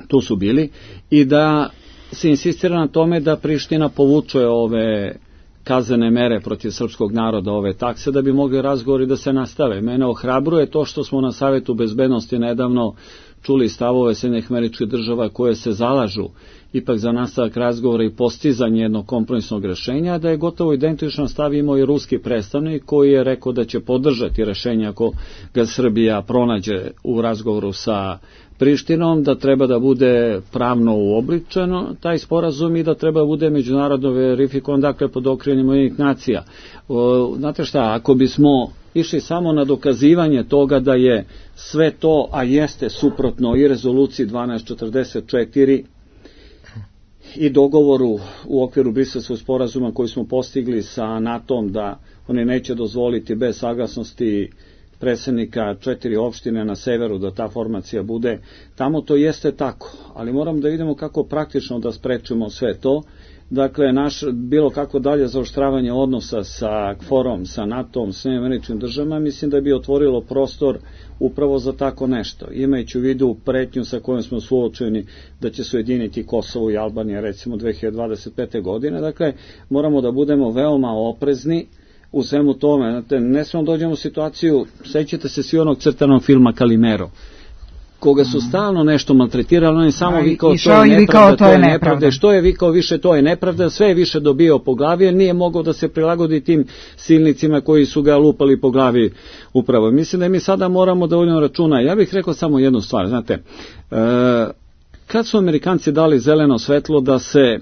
tu su bili, i da se insistira na tome da Priština povuče ove kaznene mere protiv srpskog naroda, ove takse, da bi mogli razgovori da se nastave. Mene ohrabruje to što smo na Savetu bezbednosti nedavno čuli stavove Sjedinjenih Američkih Država koje se zalažu ipak za nastavak razgovora i postizanje jednog kompromisnog rešenja, da je gotovo identičan stav imao i ruski predstavnik koji je rekao da će podržati rešenje ako ga Srbija pronađe u razgovoru sa Prištinom, da treba da bude pravno uobličeno taj sporazum i da treba da bude međunarodno verifikovan, dakle pod okriljem Ujedinjenih nacija. O, znate šta, ako bismo išli samo na dokazivanje toga da je sve to, a jeste suprotno i rezoluciji dvanaest četrdeset četiri i dogovoru u okviru Briselskog sporazuma koji smo postigli sa NATO-om da oni neće dozvoliti bez saglasnosti predsjednika četiri opštine na severu da ta formacija bude tamo, to jeste tako, ali moramo da vidimo kako praktično da sprečimo sve to. dakle, naš bilo kako dalje zaoštravanje odnosa sa kforom, sa NATO-om, sa američkim državama, mislim da bi otvorilo prostor upravo za tako nešto. Imajući u vidu pretnju sa kojom smo suočeni da će se ujediniti Kosovo i Albanija recimo dve hiljade dvadeset pete. godine, dakle, moramo da budemo veoma oprezni u svemu tome. Znate, ne smemo dođemo u situaciju, sećate se svi onog crtanog filma Kalimero, koga su stalno nešto maltretirali, on je samo A, vikao, to je nepravda, to je nepravda. Što je vikao više, to je nepravda, sve je više dobio po glavi, jer nije mogao da se prilagodi tim silnicima koji su ga lupali po glavi upravo. Mislim da mi sada moramo da vodimo računa. Ja bih rekao samo jednu stvar, znate, e, kad su Amerikanci dali zeleno svetlo da se e,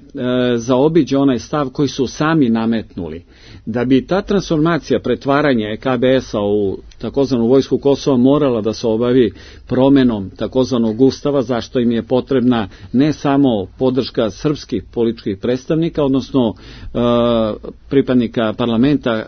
zaobiđe onaj stav koji su sami nametnuli, da bi ta transformacija, pretvaranje K B S-a u takozvanu vojsku Kosova morala da se obavi promenom takozvanog ustava, zašto im je potrebna ne samo podrška srpskih političkih predstavnika, odnosno e, pripadnika parlamenta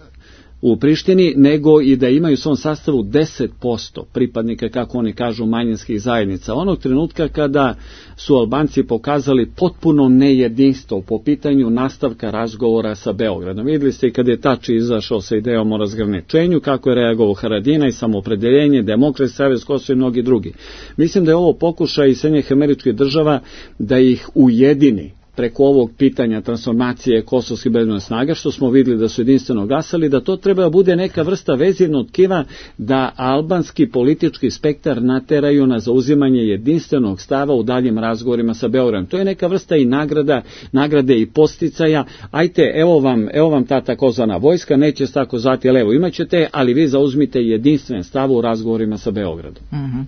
u Prištini, nego i da imaju u svom sastavu deset posto pripadnika, kako oni kažu, manjinskih zajednica. Onog trenutka kada su Albanci pokazali potpuno nejedinstvo po pitanju nastavka razgovora sa Beogradom. Vidjeli ste i kada je Tači izašao sa idejom o razgraničenju, kako je reagovao Haradinaj, Samoopredeljenje, Demokratski savez Kosova i mnogi drugi. Mislim da je ovo pokušaj i Sjedinjenih Američkih Država da ih ujedini preko ovog pitanja transformacije kosovskih bezbednosnih snaga, što smo vidjeli da su jedinstveno glasali, da to treba da bude neka vrsta vezivnog tkiva da albanski politički spektar nateraju na zauzimanje jedinstvenog stava u daljim razgovorima sa Beogradom. To je neka vrsta i nagrada, nagrade i posticaja. Ajte, evo vam, evo vam ta takozvana vojska, neće se tako zvati, ali evo imaćete, ali vi zauzmite jedinstven stav u razgovorima sa Beogradom. Uh-huh.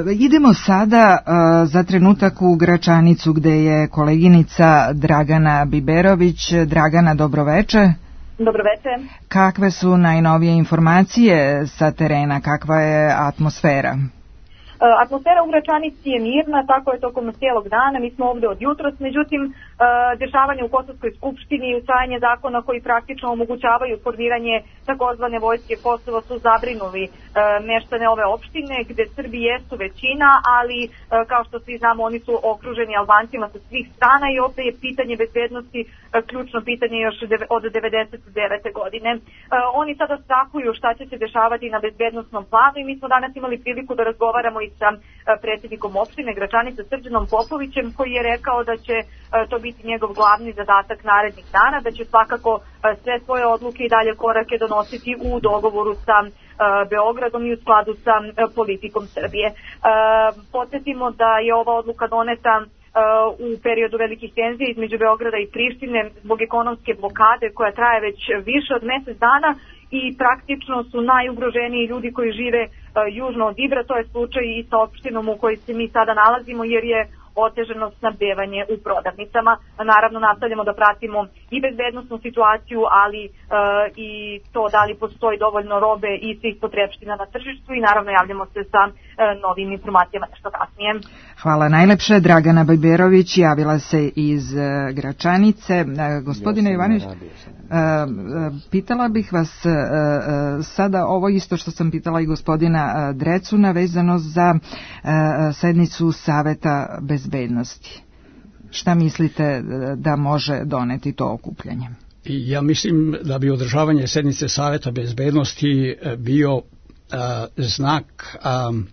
E, idemo sada e, za trenutak u Gračanicu, gde je koleginica Dragana Biberović. Dragana, dobroveče. Dobroveče. Kakve su najnovije informacije sa terena, kakva je atmosfera? Atmosfera u Gračanici je mirna, tako je tokom cijelog dana, mi smo ovdje od jutros, međutim dešavanje u Kosovskoj skupštini i usvajanje zakona koji praktično omogućavaju formiranje takozvane vojske Kosova su zabrinuli meštane ove opštine gdje Srbi jesu većina, ali kao što svi znamo oni su okruženi Albancima sa svih strana i ovdje je pitanje bezbednosti ključno pitanje još od devedeset devete. godine. Oni sada strahuju šta će se dešavati na bezbednostnom planu i mi smo danas imali priliku da razgovaramo i sa predsjednikom opštine Gračanice Srđanom Popovićem, koji je rekao da će to biti njegov glavni zadatak narednih dana, da će svakako sve svoje odluke i dalje korake donositi u dogovoru sa Beogradom i u skladu sa politikom Srbije. Podsjetimo da je ova odluka doneta u periodu velikih tenzija između Beograda i Prištine zbog ekonomske blokade koja traje već više od mjesec dana i praktično su najugroženiji ljudi koji žive južno od Ibra. To je slučaj i sa opštinom u kojoj se mi sada nalazimo, jer je otežano snabdevanje u prodavnicama. Naravno, nastavljamo da pratimo i bezbednosnu situaciju, ali e, i to da li postoji dovoljno robe i svih potrebština na tržištu i naravno javljamo se sa e, novim informacijama nešto kasnije. Hvala najlepše. Dragana Biberović javila se iz e, Gračanice. E, gospodine ja Ivanović, e, pitala bih vas e, e, sada ovo isto što sam pitala i gospodina e, Drecuna vezano za e, sednicu Saveta bezbednosti. Šta mislite da može doneti to okupljanje? Ja mislim da bi održavanje sednice Saveta bezbednosti bio uh, znak um,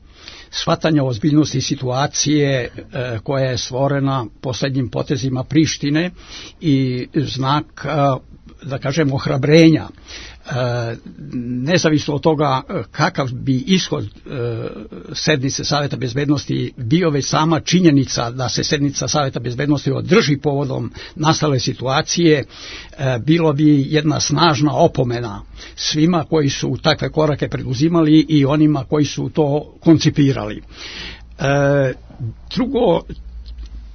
shvatanja ozbiljnosti situacije uh, koja je stvorena posljednjim potezima Prištine i znak, uh, da kažem, ohrabrenja. E, nezavisno od toga kakav bi ishod e, sednice Saveta bezbednosti bio, već sama činjenica da se sednica Saveta bezbednosti održi povodom nastale situacije, e, bilo bi jedna snažna opomena svima koji su takve korake preduzimali i onima koji su to koncipirali. E, drugo,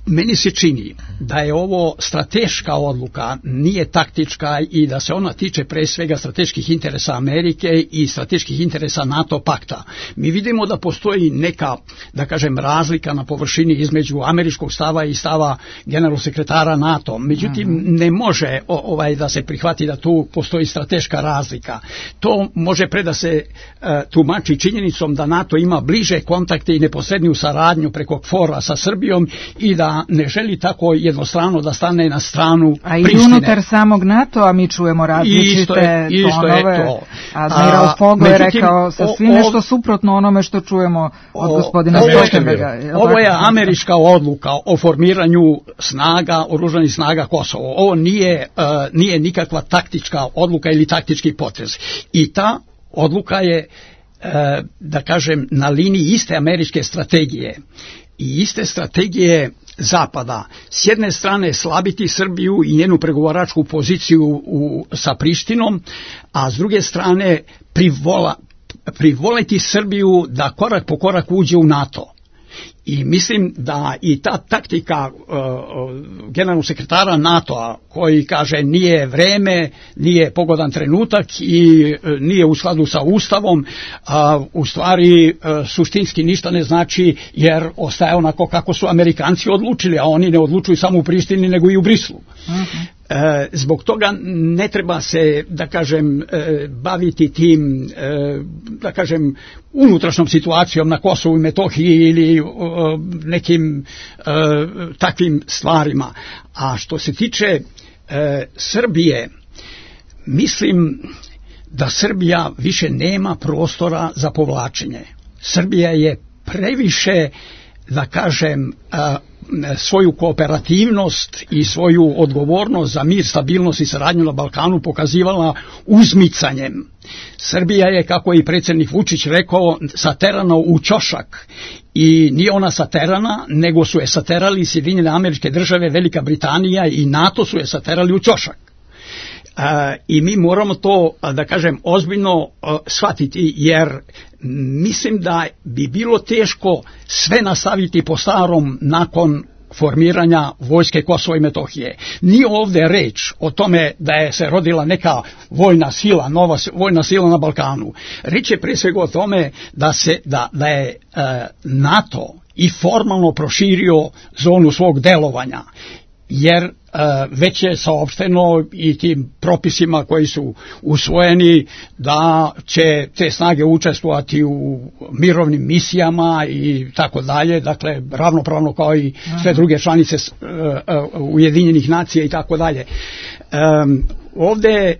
meni se čini da je ovo strateška odluka, nije taktička i da se ona tiče pre svega strateških interesa Amerike i strateških interesa NATO pakta. Mi vidimo da postoji neka, da kažem, razlika na površini između američkog stava i stava generalnog sekretara NATO. Međutim, mm-hmm. ne može ovaj da se prihvati da tu postoji strateška razlika. To može pre da se uh, tumači činjenicom da NATO ima bliže kontakte i neposredniju saradnju preko KFOR-a sa Srbijom i da da ne želi tako jednostrano da stane na stranu a i Prištine. Unutar samog NATO-a mi čujemo različite isto je, isto tonove. Je to. Admiral Fogo je rekao sasvim nešto suprotno onome što čujemo od o, gospodina Stoltenberga. Ovo je američka odluka o formiranju snaga, oružanih snaga Kosovo. Ovo nije, uh, nije nikakva taktička odluka ili taktički potez. I ta odluka je, uh, da kažem, na liniji iste američke strategije i iste strategije Zapada. S jedne strane slabiti Srbiju i njenu pregovaračku poziciju u, sa Prištinom, a s druge strane privola, privoliti Srbiju da korak po korak uđe u NATO. I mislim da i ta taktika uh, generalnog sekretara NATO-a koji kaže nije vreme, nije pogodan trenutak i uh, nije u skladu sa Ustavom, uh, u stvari uh, suštinski ništa ne znači jer ostaje onako kako su Amerikanci odlučili, a oni ne odlučuju samo u Prištini nego i u Brislu. Uh-huh. E, zbog toga ne treba se, da kažem, e, baviti tim, e, da kažem, unutrašnjom situacijom na Kosovu i Metohiji ili e, nekim e, takvim stvarima. A što se tiče e, Srbije, mislim da Srbija više nema prostora za povlačenje. Srbija je previše, da kažem, a, svoju kooperativnost i svoju odgovornost za mir, stabilnost i saradnju na Balkanu pokazivala uzmicanjem. Srbija je, kako je i predsjednik Vučić rekao, saterana u ćošak i nije ona saterana, nego su je saterali Sjedinjene Američke Države, Velika Britanija i NATO su je saterali u ćošak. Uh, i mi moramo to, da kažem, ozbiljno uh, shvatiti, jer mislim da bi bilo teško sve nastaviti po starom nakon formiranja vojske Kosova i Metohije. Nije ovdje reč o tome da je se rodila neka vojna sila, nova vojna sila na Balkanu. Reč je prije svega o tome da, se, da, da je uh, NATO i formalno proširio zonu svog delovanja, jer uh, već je saopšteno i tim propisima koji su usvojeni da će te snage učestvovati u mirovnim misijama i tako dalje, dakle ravnopravno kao i sve druge članice uh, uh, Ujedinjenih nacija i tako dalje. Um, ovdje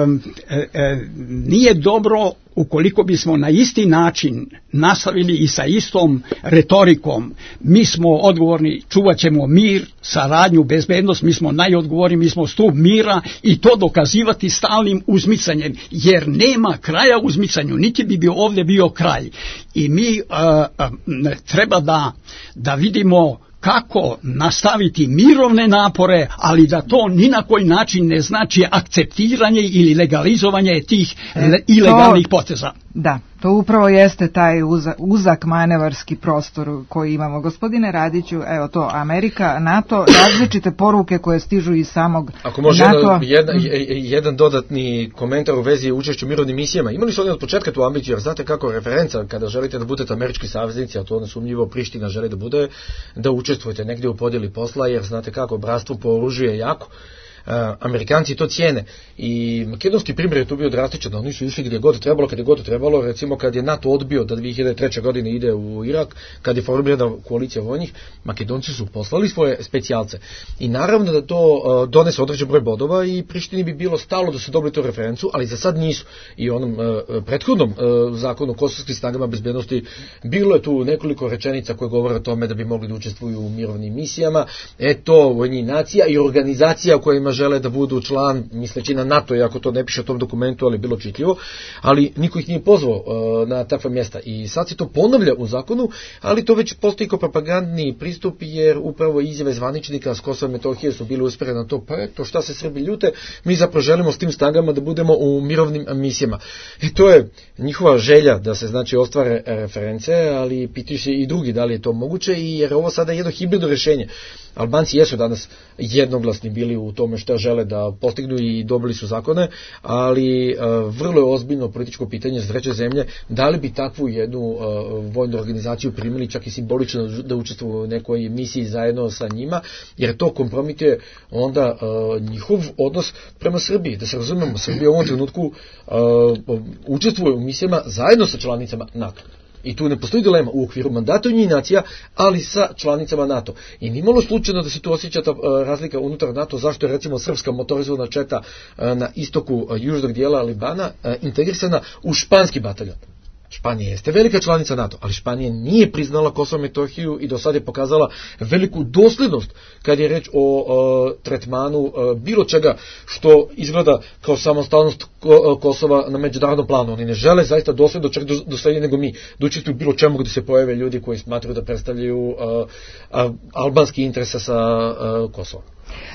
um, e, e, nije dobro ukoliko bismo na isti način nastavili i sa istom retorikom. Mi smo odgovorni, čuvat ćemo mir, saradnju, bezbednost, mi smo najodgovorniji, mi smo stup mira i to dokazivati stalnim uzmicanjem, jer nema kraja uzmicanju, niti bi bio ovdje bio kraj. I mi uh, uh, treba da, da vidimo kako nastaviti mirovne napore, ali da to ni na koji način ne znači akceptiranje ili legalizovanje tih e, ilegalnih to, poteza. Da, to upravo jeste taj uza, uzak manevarski prostor koji imamo. Gospodine Radiću, evo to, Amerika, NATO, različite poruke koje stižu iz samog Ako može NATO. Jedan, jedan dodatni komentar u vezi učešću u mirovnim misijama. Imali su oni od početka tu ambiciju, jer znate kako referenca, kada želite da budete američki saveznici, a to nesumnjivo Priština želi da bude, da učestvujete negdje u podjeli posla, jer znate kako, bratstvo po oružju je jako. Uh, Amerikanci to cijene i makedonski primjer je tu bio drastičan, oni su išli gdje god trebalo, kad je god trebalo, recimo kad je NATO odbio da dvije hiljade treće. godine ide u Irak, kad je formirana koalicija vojnih, Makedonci su poslali svoje specijalce i naravno da to uh, donese određen broj bodova i Prištini bi bilo stalo da su dobili tu referencu, ali za sad nisu. I onom uh, prethodnom uh, zakonu o kosovskim snagama bezbednosti bilo je tu nekoliko rečenica koje govore o tome da bi mogli da učestvuju u mirovnim misijama, eto, Ujedinjenih nacija i organizacija u kojima žele da budu član, misleći na NATO, iako to ne piše u tom dokumentu, ali bilo čitljivo, ali niko ih nije pozvao uh, na takva mjesta. I sad se to ponavlja u zakonu, ali to već postoji kao propagandni pristup, jer upravo izjave zvaničnika s Kosova i Metohije su bile usmjerene na to, pa eto, šta se Srbi ljute, mi zapravo želimo s tim snagama da budemo u mirovnim misijama. I to je njihova želja da se, znači, ostvare reference, ali pitaju se i drugi da li je to moguće, i jer ovo sada je jedno hibridno rješenje. Albanci jesu danas jednoglasni bili u tome što žele da postignu i dobili su zakone, ali uh, vrlo je ozbiljno političko pitanje za treće zemlje, da li bi takvu jednu uh, vojnu organizaciju primili čak i simbolično da učestvuju u nekoj misiji zajedno sa njima, jer to kompromituje onda uh, njihov odnos prema Srbiji. Da se razumemo, Srbija u ovom trenutku uh, učestvuje u misijama zajedno sa članicama NATO. I tu ne postoji dilema u okviru mandata Ujedinjenih nacija, ali sa članicama NATO. I nije malo slučajno da se tu osjeća ta razlika unutar NATO, zašto je recimo srpska motorizovana četa na istoku južnog dijela Libana integrisana u španski bataljon. Španija jeste velika članica NATO, ali Španija nije priznala Kosovo i Metohiju i do sada je pokazala veliku dosljednost kad je reč o, o tretmanu o, bilo čega što izgleda kao samostalnost ko, Kosova na međunarodnom planu. Oni ne žele zaista dosljedno čak doslednije nego mi da učestvuju bilo čemu gdje se pojave ljudi koji smatraju da predstavljaju a, a, albanski interese sa a, Kosovom.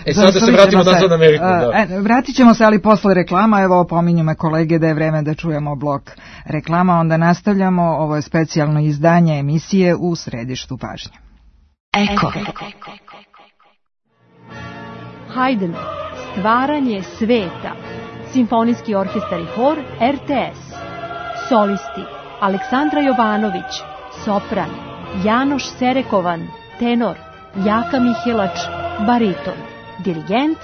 E sad da se vratimo nazad na Ameriku. Da. E, vratit ćemo se, ali posle reklama. Evo, opominju me kolege da je vreme da čujemo blok reklama, onda nastavljamo. Ovo je specijalno izdanje emisije U središtu pažnje. Eko. Haydn, stvaranje sveta. Simfonijski orkestar i hor R T S. Solisti Aleksandra Jovanović, sopran, Janoš Serekovan, tenor, Jaka Mihilač, bariton, dirigent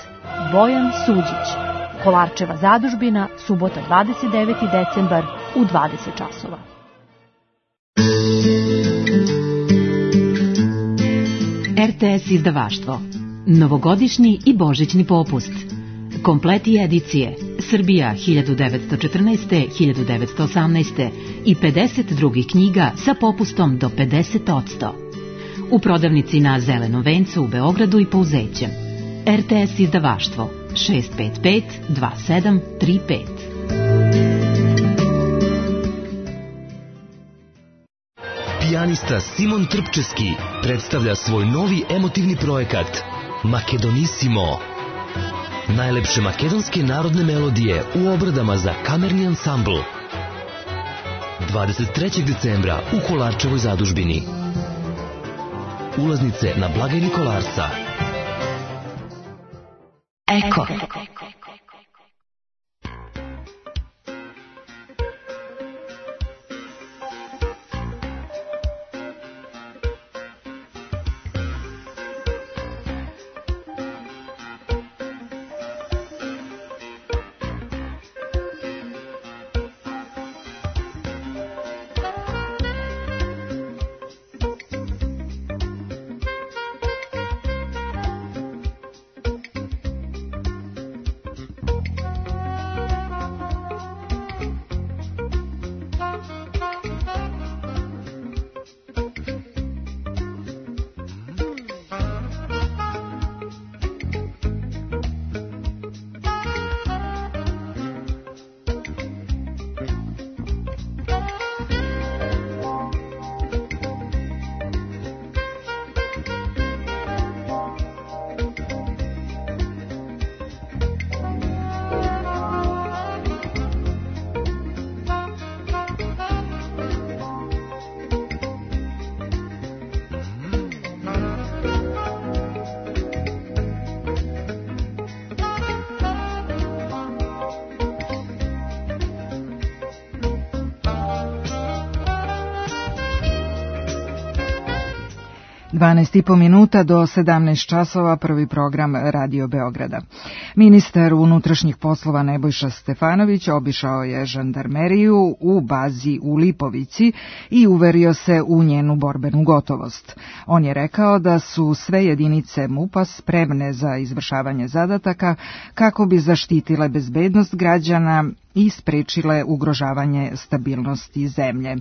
Bojan Suđić. Kolarčeva zadužbina, subota dvadeset deveti decembar u dvadeset časova. R T S izdavaštvo. Novogodišnji i božićni popust. Kompleti edicije Srbija hiljadu devetsto četrnaeste do hiljadu devetsto osamnaeste i pedeset drugih knjiga sa popustom do pedeset posto. U prodavnici na Zelenom vencu u Beogradu i Pouzećem. R T S izdavaštvo šest pet pet dva sedam tri pet. Pijanista Simon Trpčeski predstavlja svoj novi emotivni projekat Makedonissimo. Najlepše makedonske narodne melodije u obradama za kamerni ansambl. dvadeset trećeg decembra u Kolarčevoj zadužbini. Ulaznice na blagajni Kolarca. Eko. dvanaest i po minuta do sedamnaest časova, prvi program Radio Beograda. Ministar unutrašnjih poslova Nebojša Stefanović obišao je žandarmeriju u bazi u Lipovici i uverio se u njenu borbenu gotovost. On je rekao da su sve jedinice M U P-a spremne za izvršavanje zadataka kako bi zaštitile bezbednost građana i sprečile ugrožavanje stabilnosti zemlje.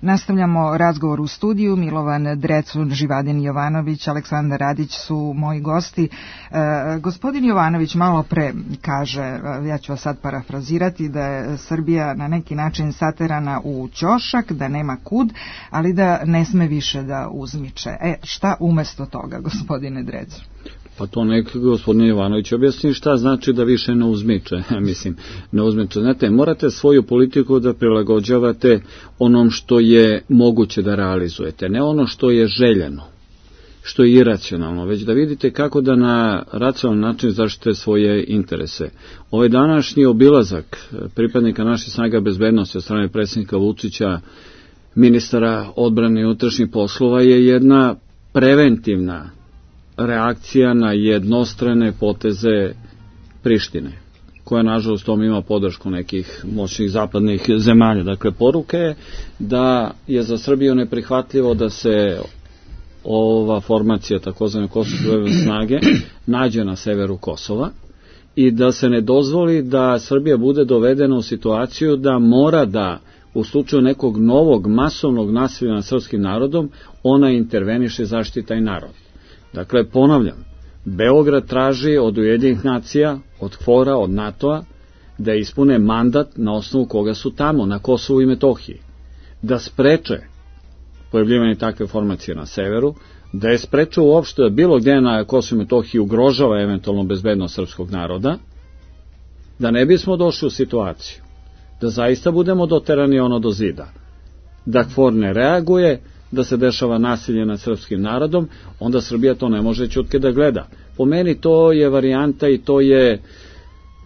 Nastavljamo razgovor u studiju. Milovan Drecun, Živadin Jovanović, Aleksandar Radić su moji gosti. E, gospodin Jovanović malo pre kaže, ja ću vas sad parafrazirati, da je Srbija na neki način saterana u ćošak, da nema kud, ali da ne sme više da uzmiče. E, šta umesto toga, gospodine Drecun? Pa to nek gospodin Jovanović objasni šta znači da više ne uzmiče. Mislim, ne uzmiče. Znate, morate svoju politiku da prilagođavate onom što je moguće da realizujete, ne ono što je željeno, što je iracionalno, već da vidite kako da na racionalan način zaštite svoje interese. Ovaj današnji obilazak pripadnika naših snaga bezbednosti od strane predsjednika Vučića, ministara odbrane i unutrašnjih poslova je jedna preventivna reakcija na jednostrane poteze Prištine, koja nažalost tom ima podršku nekih moćnih zapadnih zemalja. Dakle, poruka je da je za Srbiju neprihvatljivo da se ova formacija takozvane kosovske snage nađe na severu Kosova i da se ne dozvoli da Srbija bude dovedena u situaciju da mora da u slučaju nekog novog masovnog nasilja nad srpskim narodom ona interveniše i zaštiti taj narod. Dakle, ponavljam, Beograd traži od Ujedinjenih nacija, od KFOR-a, od NATO-a da ispune mandat na osnovu koga su tamo, na Kosovu i Metohiji, da spreče pojavljivanje takve formacije na severu, da je spreče uopšte da bilo gde na Kosovu i Metohiji ugrožava eventualno bezbednost srpskog naroda, da ne bismo došli u situaciju da zaista budemo doterani ono do zida, da KFOR ne reaguje, da se dešava nasilje nad srpskim narodom, onda Srbija to ne može ćutke da gleda. Po meni to je varijanta i to je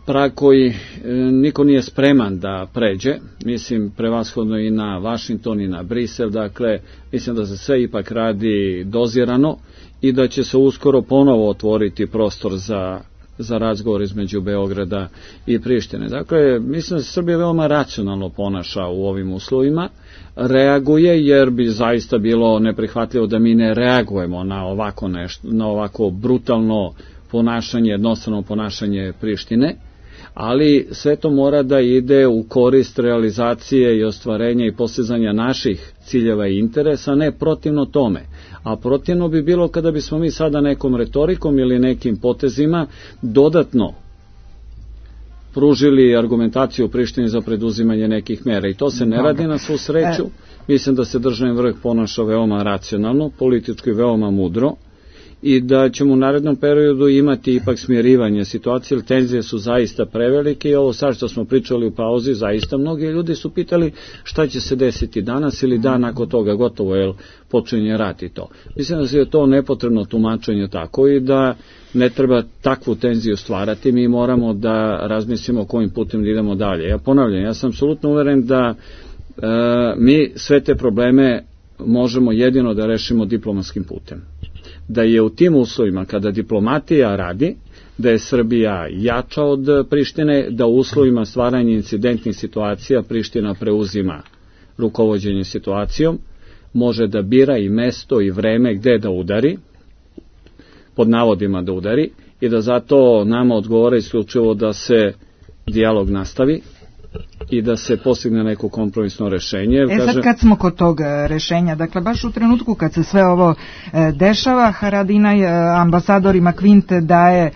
prag koji e, niko nije spreman da pređe, mislim prevashodno i na Vašington i na Brisel, dakle mislim da se sve ipak radi dozirano i da će se uskoro ponovo otvoriti prostor za za razgovor između Beograda i Prištine. Dakle, mislim da se Srbija veoma racionalno ponaša u ovim uslovima, reaguje jer bi zaista bilo neprihvatljivo da mi ne reagujemo na ovako nešto, na ovako brutalno ponašanje, jednostavno ponašanje Prištine, ali sve to mora da ide u korist realizacije i ostvarenja i postizanja naših ciljeva i interesa, ne protivno tome. A protivno bi bilo kada bismo mi sada nekom retorikom ili nekim potezima dodatno pružili argumentaciju u Prištini za preduzimanje nekih mera. I to se ne radi na svu sreću. Mislim da se državni vrh ponaša veoma racionalno, politički veoma mudro, i da ćemo u narednom periodu imati ipak smirivanje situacije, jer tenzije su zaista prevelike i ovo sad što smo pričali u pauzi, zaista mnogi ljudi su pitali šta će se desiti danas ili dan nakon toga, gotovo, jer počinje rat i to. Mislim da je to nepotrebno tumačenje tako i da ne treba takvu tenziju stvarati, mi moramo da razmislimo kojim putem da idemo dalje. Ja ponavljam, ja sam apsolutno uveren da e, mi sve te probleme možemo jedino da rešimo diplomatskim putem. Da je u tim uslovima kada diplomatija radi, da je Srbija jača od Prištine, da u uslovima stvaranja incidentnih situacija Priština preuzima rukovođenje situacijom, može da bira i mesto i vreme gde da udari, pod navodima da udari, i da zato nama odgovara isključivo da se dijalog nastavi i da se postigne neko kompromisno rešenje. E sad kad smo kod tog rešenja, dakle baš u trenutku kad se sve ovo dešava, Haradinaj ambasadorima Kvinte daje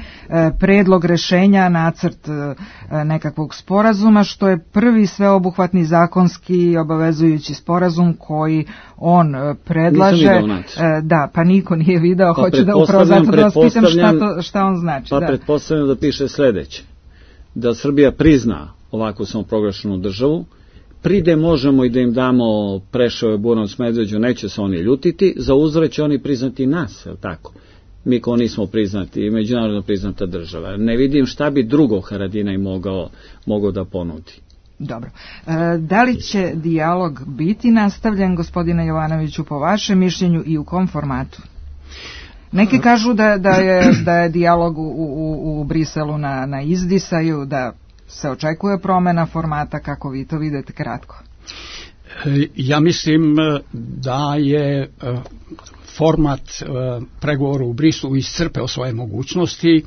predlog rešenja, nacrt nekakvog sporazuma, što je prvi sveobuhvatni zakonski obavezujući sporazum koji on predlaže. Da, pa niko nije video, pa hoću da upravo zato da vas pitam šta, to, šta on znači. Pa da. Pretpostavljam da piše sledeće, da Srbija prizna ovako samoproglašenu državu, pride možemo i da im damo Preševo, Bujanovcu, Medveđu, neće se oni ljutiti, za uzvrat će oni priznati nas, je li tako? Mi ko nismo priznati, međunarodno priznata država. Ne vidim šta bi drugo Haradinaj mogao, mogao da ponudi. Dobro. E, da li će dijalog biti nastavljen, gospodine Jovanoviću, po vašem mišljenju i u kom formatu? Neki kažu da, da, je, da je dijalog u, u, u Briselu na, na izdisaju, da se očekuje promena formata, kako vi to vidite kratko? Ja mislim da je format pregovora u Briselu iscrpeo svoje mogućnosti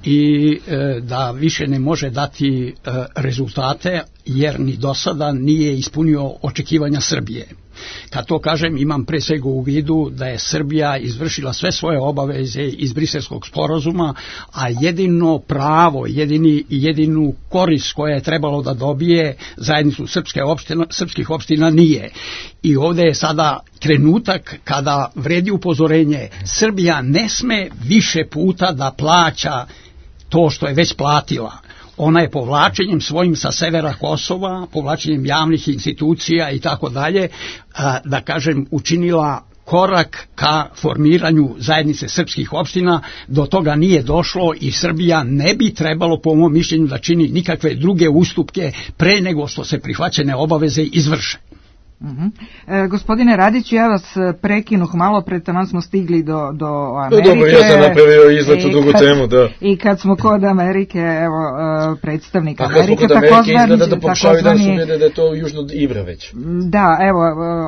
i da više ne može dati rezultate, jer ni do sada nije ispunio očekivanja Srbije. Kad to kažem, imam pre svega u vidu da je Srbija izvršila sve svoje obaveze iz Briselskog sporazuma, a jedino pravo, jedini, jedinu korist koja je trebalo da dobije zajednicu srpske opština, srpskih opština nije. I ovdje je sada trenutak kada vredi upozorenje, Srbija ne sme više puta da plaća to što je već platila. Ona je povlačenjem svojim sa severa Kosova, povlačenjem javnih institucija i tako dalje, da kažem, učinila korak ka formiranju zajednice srpskih opština. Do toga nije došlo i Srbija ne bi trebalo, po mom mišljenju, da čini nikakve druge ustupke pre nego što se prihvaćene obaveze izvrše. Uh-huh. E, gospodine Radiću, ja vas prekinuh malo, pre taman smo stigli do, do Amerike. No, dobro, ja sam napravio izlet u drugu temu, da. I kad smo kod Amerike, evo, predstavnik A Amerike, kad smo kod Amerike, izgleda da pokušavaju da su vide da je to južno od Ibra već. Da, evo,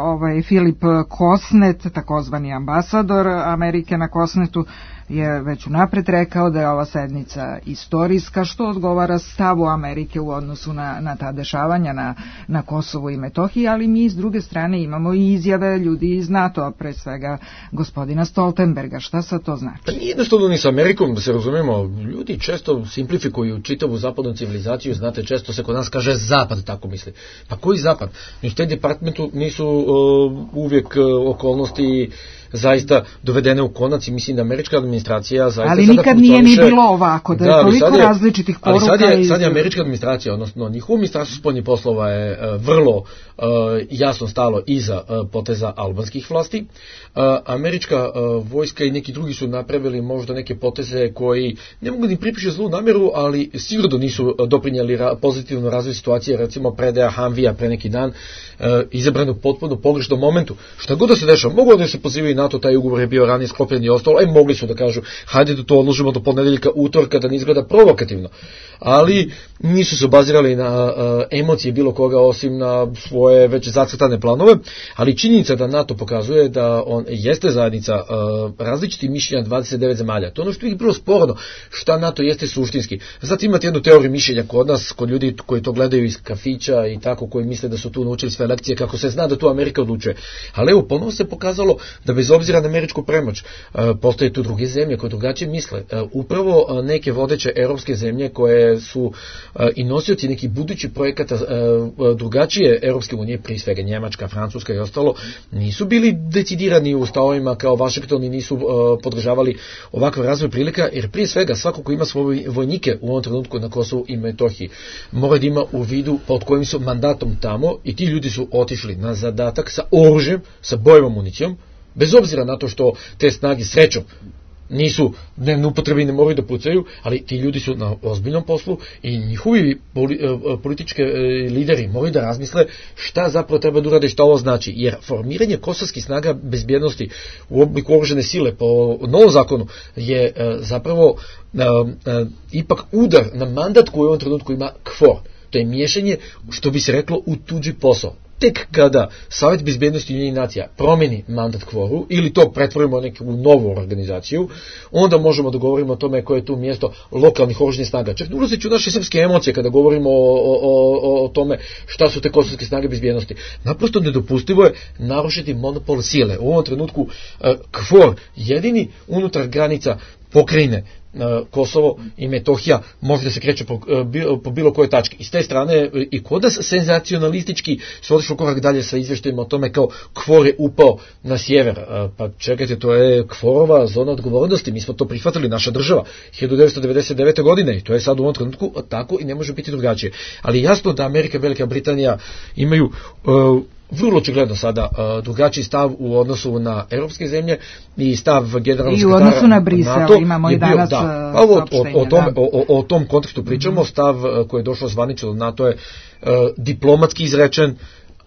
ovaj Filip Kosnet, takozvani ambasador Amerike na Kosnetu, je već unapred rekao da je ova sednica istorijska, što odgovara stavu Amerike u odnosu na, na ta dešavanja na, na Kosovu i Metohiji, ali mi s druge strane imamo i izjave ljudi iz NATO, pre svega gospodina Stoltenberga. Šta sad to znači? Pa nije jednostavno ni sa Amerikom, da se razumemo, ljudi često simplifikuju čitavu zapadnu civilizaciju, znate, često se kod nas kaže zapad, tako misli. Pa koji zapad? U State Departmentu nisu uh, uvijek uh, okolnosti zaista dovedene u konac i mislim da američka administracija zaista ali sada nikad nije ni bilo ovako, da je da, toliko je, različitih poruka. Ali sad je, sad je američka administracija, odnosno njihovo ministarstvo spoljnih poslova je uh, vrlo uh, jasno stalo iza uh, poteza albanskih vlasti. Uh, američka uh, vojska i neki drugi su napravili možda neke poteze koji ne mogu ni pripiše zlu namjeru, ali sigurno nisu doprinijeli ra- pozitivno razvoj situacije, recimo predaja Hamvija pre neki dan, uh, izabranog potpuno pogrešnom momentu. Šta god da se dešava, mogu da se pozivaju NATO, taj ugovor je bio ranije sklopljen i ostalo, aj mogli su da kažu, hajde da to odložimo do ponedeljka, utorka, da ne izgleda provokativno. Ali nisu se obazirali na uh, emocije bilo koga osim na svoje već zacrtane planove, ali činjenica da NATO pokazuje da on jeste zajednica uh, različitih mišljenja dvadeset devet zemalja. To je ono što je bilo sporno, šta NATO jeste suštinski. Zato imate jednu teoriju mišljenja kod nas, kod ljudi koji to gledaju iz kafića i tako, koji misle da su tu naučili sve lekcije, kako se zna da tu Amerika odlučuje. Ali evo, ponovno se pokazalo da bez obzira na američku premoć, uh, postoje tu druge zemlje koje drugačije misle. Uh, upravo uh, neke vodeće europske zemlje koje su uh, i nosioci nekih budućih projekata uh, drugačije Europske unije, prije svega Njemačka, Francuska i ostalo, nisu bili decidirani u stavovima kao Vašington i nisu uh, podržavali ovakav razvoj prilika, jer prije svega svako ko ima svoje vojnike u ovom trenutku na Kosovu i Metohiji mora da ima u vidu pod kojim su mandatom tamo i ti ljudi su otišli na zadatak sa oružjem, sa bojevom municijom, bez obzira na to što te snage srećom nisu dnevno upotrebi i ne moraju da pucaju, ali ti ljudi su na ozbiljnom poslu i njihovi politički lideri moraju da razmisle šta zapravo treba da urade, šta ovo znači, jer formiranje kosovskih snaga bezbjednosti u obliku oružane sile po novom zakonu je zapravo ipak udar na mandat koji u ovom trenutku ima KFOR. To je miješanje, što bi se reklo, u tuđi posao. Tek kada Savjet bezbjednosti Ujedinjenih nacija promeni mandat kvoru ili to pretvorimo neku novu organizaciju, onda možemo da govorimo o tome koje je tu mjesto lokalnih oružanih snaga. Čak ne ulazeći u naše srpske emocije kada govorimo o, o, o, o tome šta su te kosovske snage bezbjednosti. Naprosto nedopustivo je narušiti monopol sile. U ovom trenutku uh, KFOR jedini unutar granica pokrajine Kosovo i Metohija može da se kreće po, po bilo kojoj tački. I s te strane i kod nas senzacionalistički se otišlo korak dalje sa izvještajima o tome kao KFOR je upao na sjever. Pa čekajte, to je KFOR-ova zona odgovornosti. Mi smo to prihvatili, naša država, hiljadu devetsto devedeset devete. godine i to je sad u ovom trenutku tako i ne može biti drugačije. Ali jasno da Amerika i Velika Britanija imaju uh, vrlo očigledno sada uh, drugačiji stav u odnosu na europske zemlje i stav generalnog sekretara NATO. I u odnosu na Brisel imamo i danas bio, da. Pa, o, o, o, tom, o, o tom kontekstu pričamo, mm-hmm. Stav uh, koji je došao zvanično do NATO je uh, diplomatski izrečen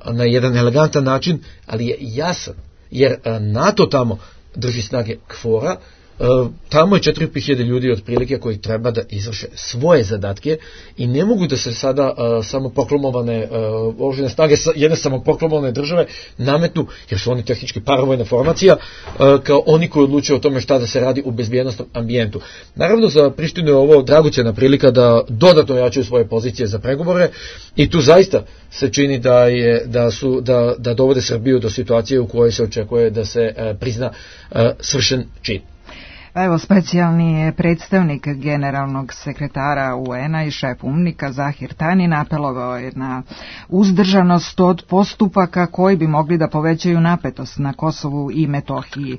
na jedan elegantan način, ali je jasan, jer uh, NATO tamo drži snage KFOR-a. Uh, tamo je četiri i po hiljade ljudi otprilike koji treba da izvrše svoje zadatke i ne mogu da se sada uh, samoproklamovane uh, oružane snage jedne samoproklamovane države nametnu, jer su oni tehnički paravojna formacija, uh, kao oni koji odlučuju o tome šta da se radi u bezbjednostnom ambijentu. Naravno za Prištinu je ovo dragocjena prilika da dodatno jačaju svoje pozicije za pregovore i tu zaista se čini da je da su da da dovode Srbiju do situacije u kojoj se očekuje da se uh, prizna uh, svršen čin. Evo, specijalni predstavnik generalnog sekretara U N-a i šef UNMIK-a Zahir Tanin apelovao je na uzdržanost od postupaka koji bi mogli da povećaju napetost na Kosovu i Metohiji.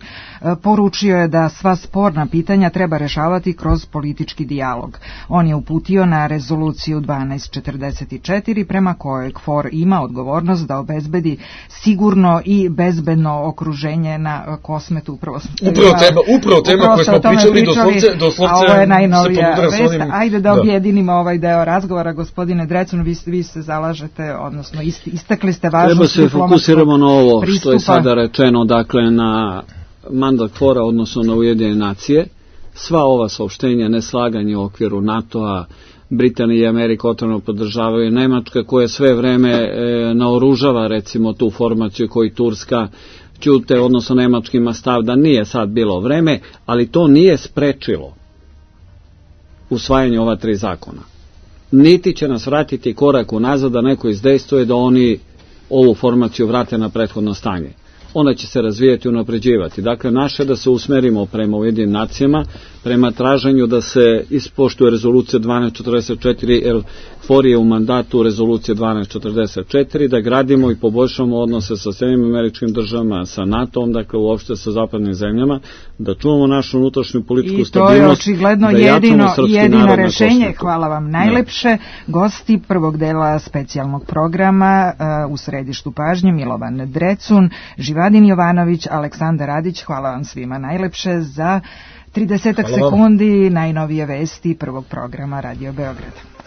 Poručio je da sva sporna pitanja treba rešavati kroz politički dijalog. On je uputio na rezoluciju dvanaest četrdeset četiri prema kojoj KFOR ima odgovornost da obezbedi sigurno i bezbedno okruženje na Kosmetu. Upravo, upravo tema, upravo tema koja više o tome pričali, doslovce, doslovce a ovo je najnovija vest. Onim... Ajde da objedinimo da. ovaj deo razgovora. Gospodine Drecun, vi, vi se zalažete, odnosno istakli ste važnost diplomatskog pristupa. Treba se fokusiramo na ovo pristupa. Što je sada rečeno, dakle na mandat KFOR-a, odnosno na Ujedinjene nacije. Sva ova saopštenja, neslaganje u okviru NATO-a, Britanija i Amerika otvoreno podržavaju, Nemačka koja sve vreme e, naoružava recimo tu formaciju koji Turska ćute, odnosno Nemački ima stav da nije sad bilo vreme, ali to nije sprečilo usvajanje ova tri zakona. Niti će nas vratiti korak unazad da neko izdejstvuje da oni ovu formaciju vrate na prethodno stanje. Ona će se razvijati i unapređivati. Dakle, naše da se usmerimo prema Ujedinjenim nacijama, prema traženju da se ispoštuje rezolucija dvanaest četrdeset četiri, jer KFOR je u mandatu rezolucije dvanaest četrdeset četiri, da gradimo i poboljšamo odnose sa Sjedinjenim Američkim Državama, sa NATO-om, dakle uopšte sa zapadnim zemljama, da čuvamo našu unutrašnju političku stabilnost. I to je očigledno da jedino, jedino rešenje. Hvala vam najlepše. Ne. Gosti prvog dela specijalnog programa uh, u središtu pažnje Milovan Drecun, Živadin Jovanović, Aleksandar Radić. Hvala vam svima najlepše za tridesetak sekundi najnovije vesti prvog programa Radio Beograda.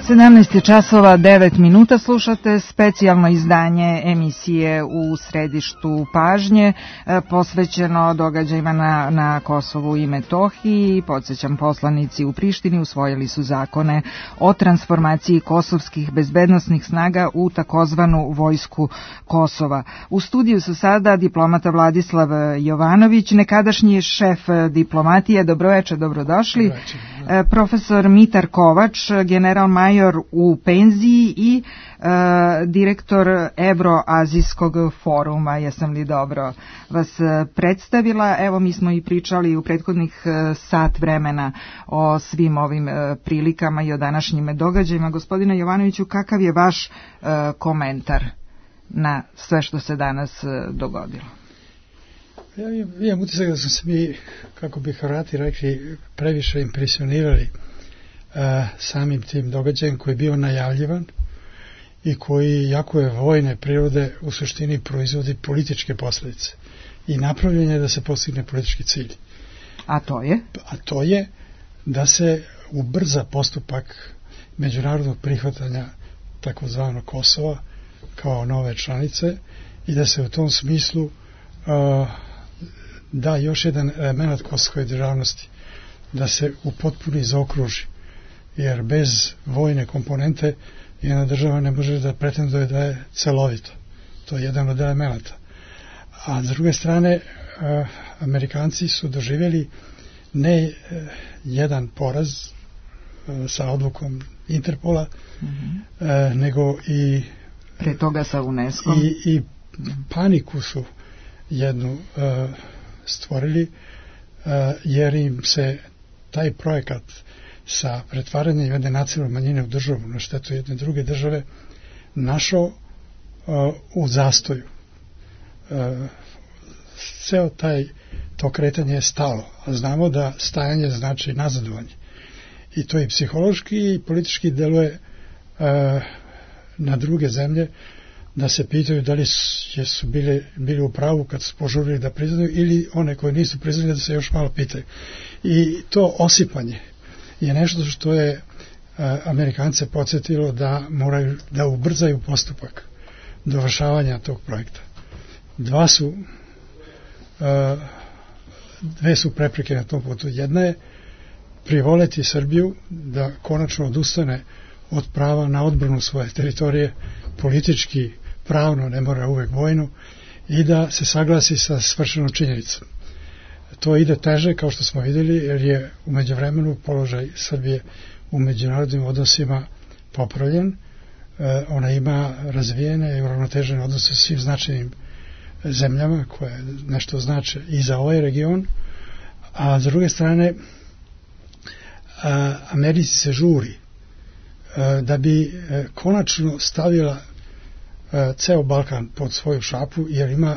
sedamnaest časova devet minuta, slušate specijalno izdanje emisije U središtu pažnje posvećeno događajima na, na Kosovu i Metohiji. Podsjećam, poslanici u Prištini usvojili su zakone o transformaciji kosovskih bezbednosnih snaga u takozvanu vojsku Kosova. U studiju su sada diplomata Vladislav Jovanović, nekadašnji šef diplomatije. Dobroveče, dobrodošli. Dobroveče. Profesor Mitar Kovač, general major u penziji i e, direktor Evroazijskog foruma. Jesam li dobro vas predstavila? Evo, mi smo i pričali u prethodnih sat vremena o svim ovim e, prilikama i o današnjim događajima. Gospodine Jovanoviću, kakav je vaš e, komentar na sve što se danas e, dogodilo? Ja imam utisak da smo se mi, kako bi Hrvati rekli, previše impresionirali uh, samim tim događajem koji je bio najavljivan i koji, jako je vojne prirode, u suštini proizvodi političke posljedice i napravljen je da se postigne politički cilj. A to je? A to je da se ubrza postupak međunarodnog prihvatanja takozvanog Kosova kao nove članice i da se u tom smislu uh, da još jedan element kosovske državnosti, da se u potpuni zaokruži, jer bez vojne komponente jedna država ne može da pretenduje da je celovita. To je jedan od elementa. A s druge strane, Amerikanci su doživjeli ne jedan poraz sa odlukom Interpola, mm-hmm. nego i pre toga sa UNESCO i, i paniku su jednu uh, stvorili, uh, jer im se taj projekat sa pretvaranjem jedne nacionalne manjine u državu na štetu jedne druge države našao uh, u zastoju. Uh, ceo taj, to kretanje je stalo, a znamo da stajanje znači nazadovanje. I to i psihološki i politički deluje uh, na druge zemlje, da se pitaju da li su bili, bili u pravu kad su požurili da priznaju ili one koje nisu priznali da se još malo pitaju. I to osipanje je nešto što je a, Amerikance podsjetilo da moraju da ubrzaju postupak dovršavanja tog projekta. Dva su a, dve su prepreke na tom putu. Jedna je privoleti Srbiju da konačno odustane od prava na odbranu svoje teritorije, politički, pravno, ne mora uvek vojno, i da se saglasi sa svršenom činjenicom. To ide teže, kao što smo vidjeli, jer je u međuvremenu položaj Srbije u međunarodnim odnosima popravljen. E, ona ima razvijene i uravnotežene odnose sa svim značajnim zemljama koje nešto znače i za ovaj region, a s druge strane a, Americi se žuri a, da bi a, konačno stavila a, ceo Balkan pod svoju šapu, jer ima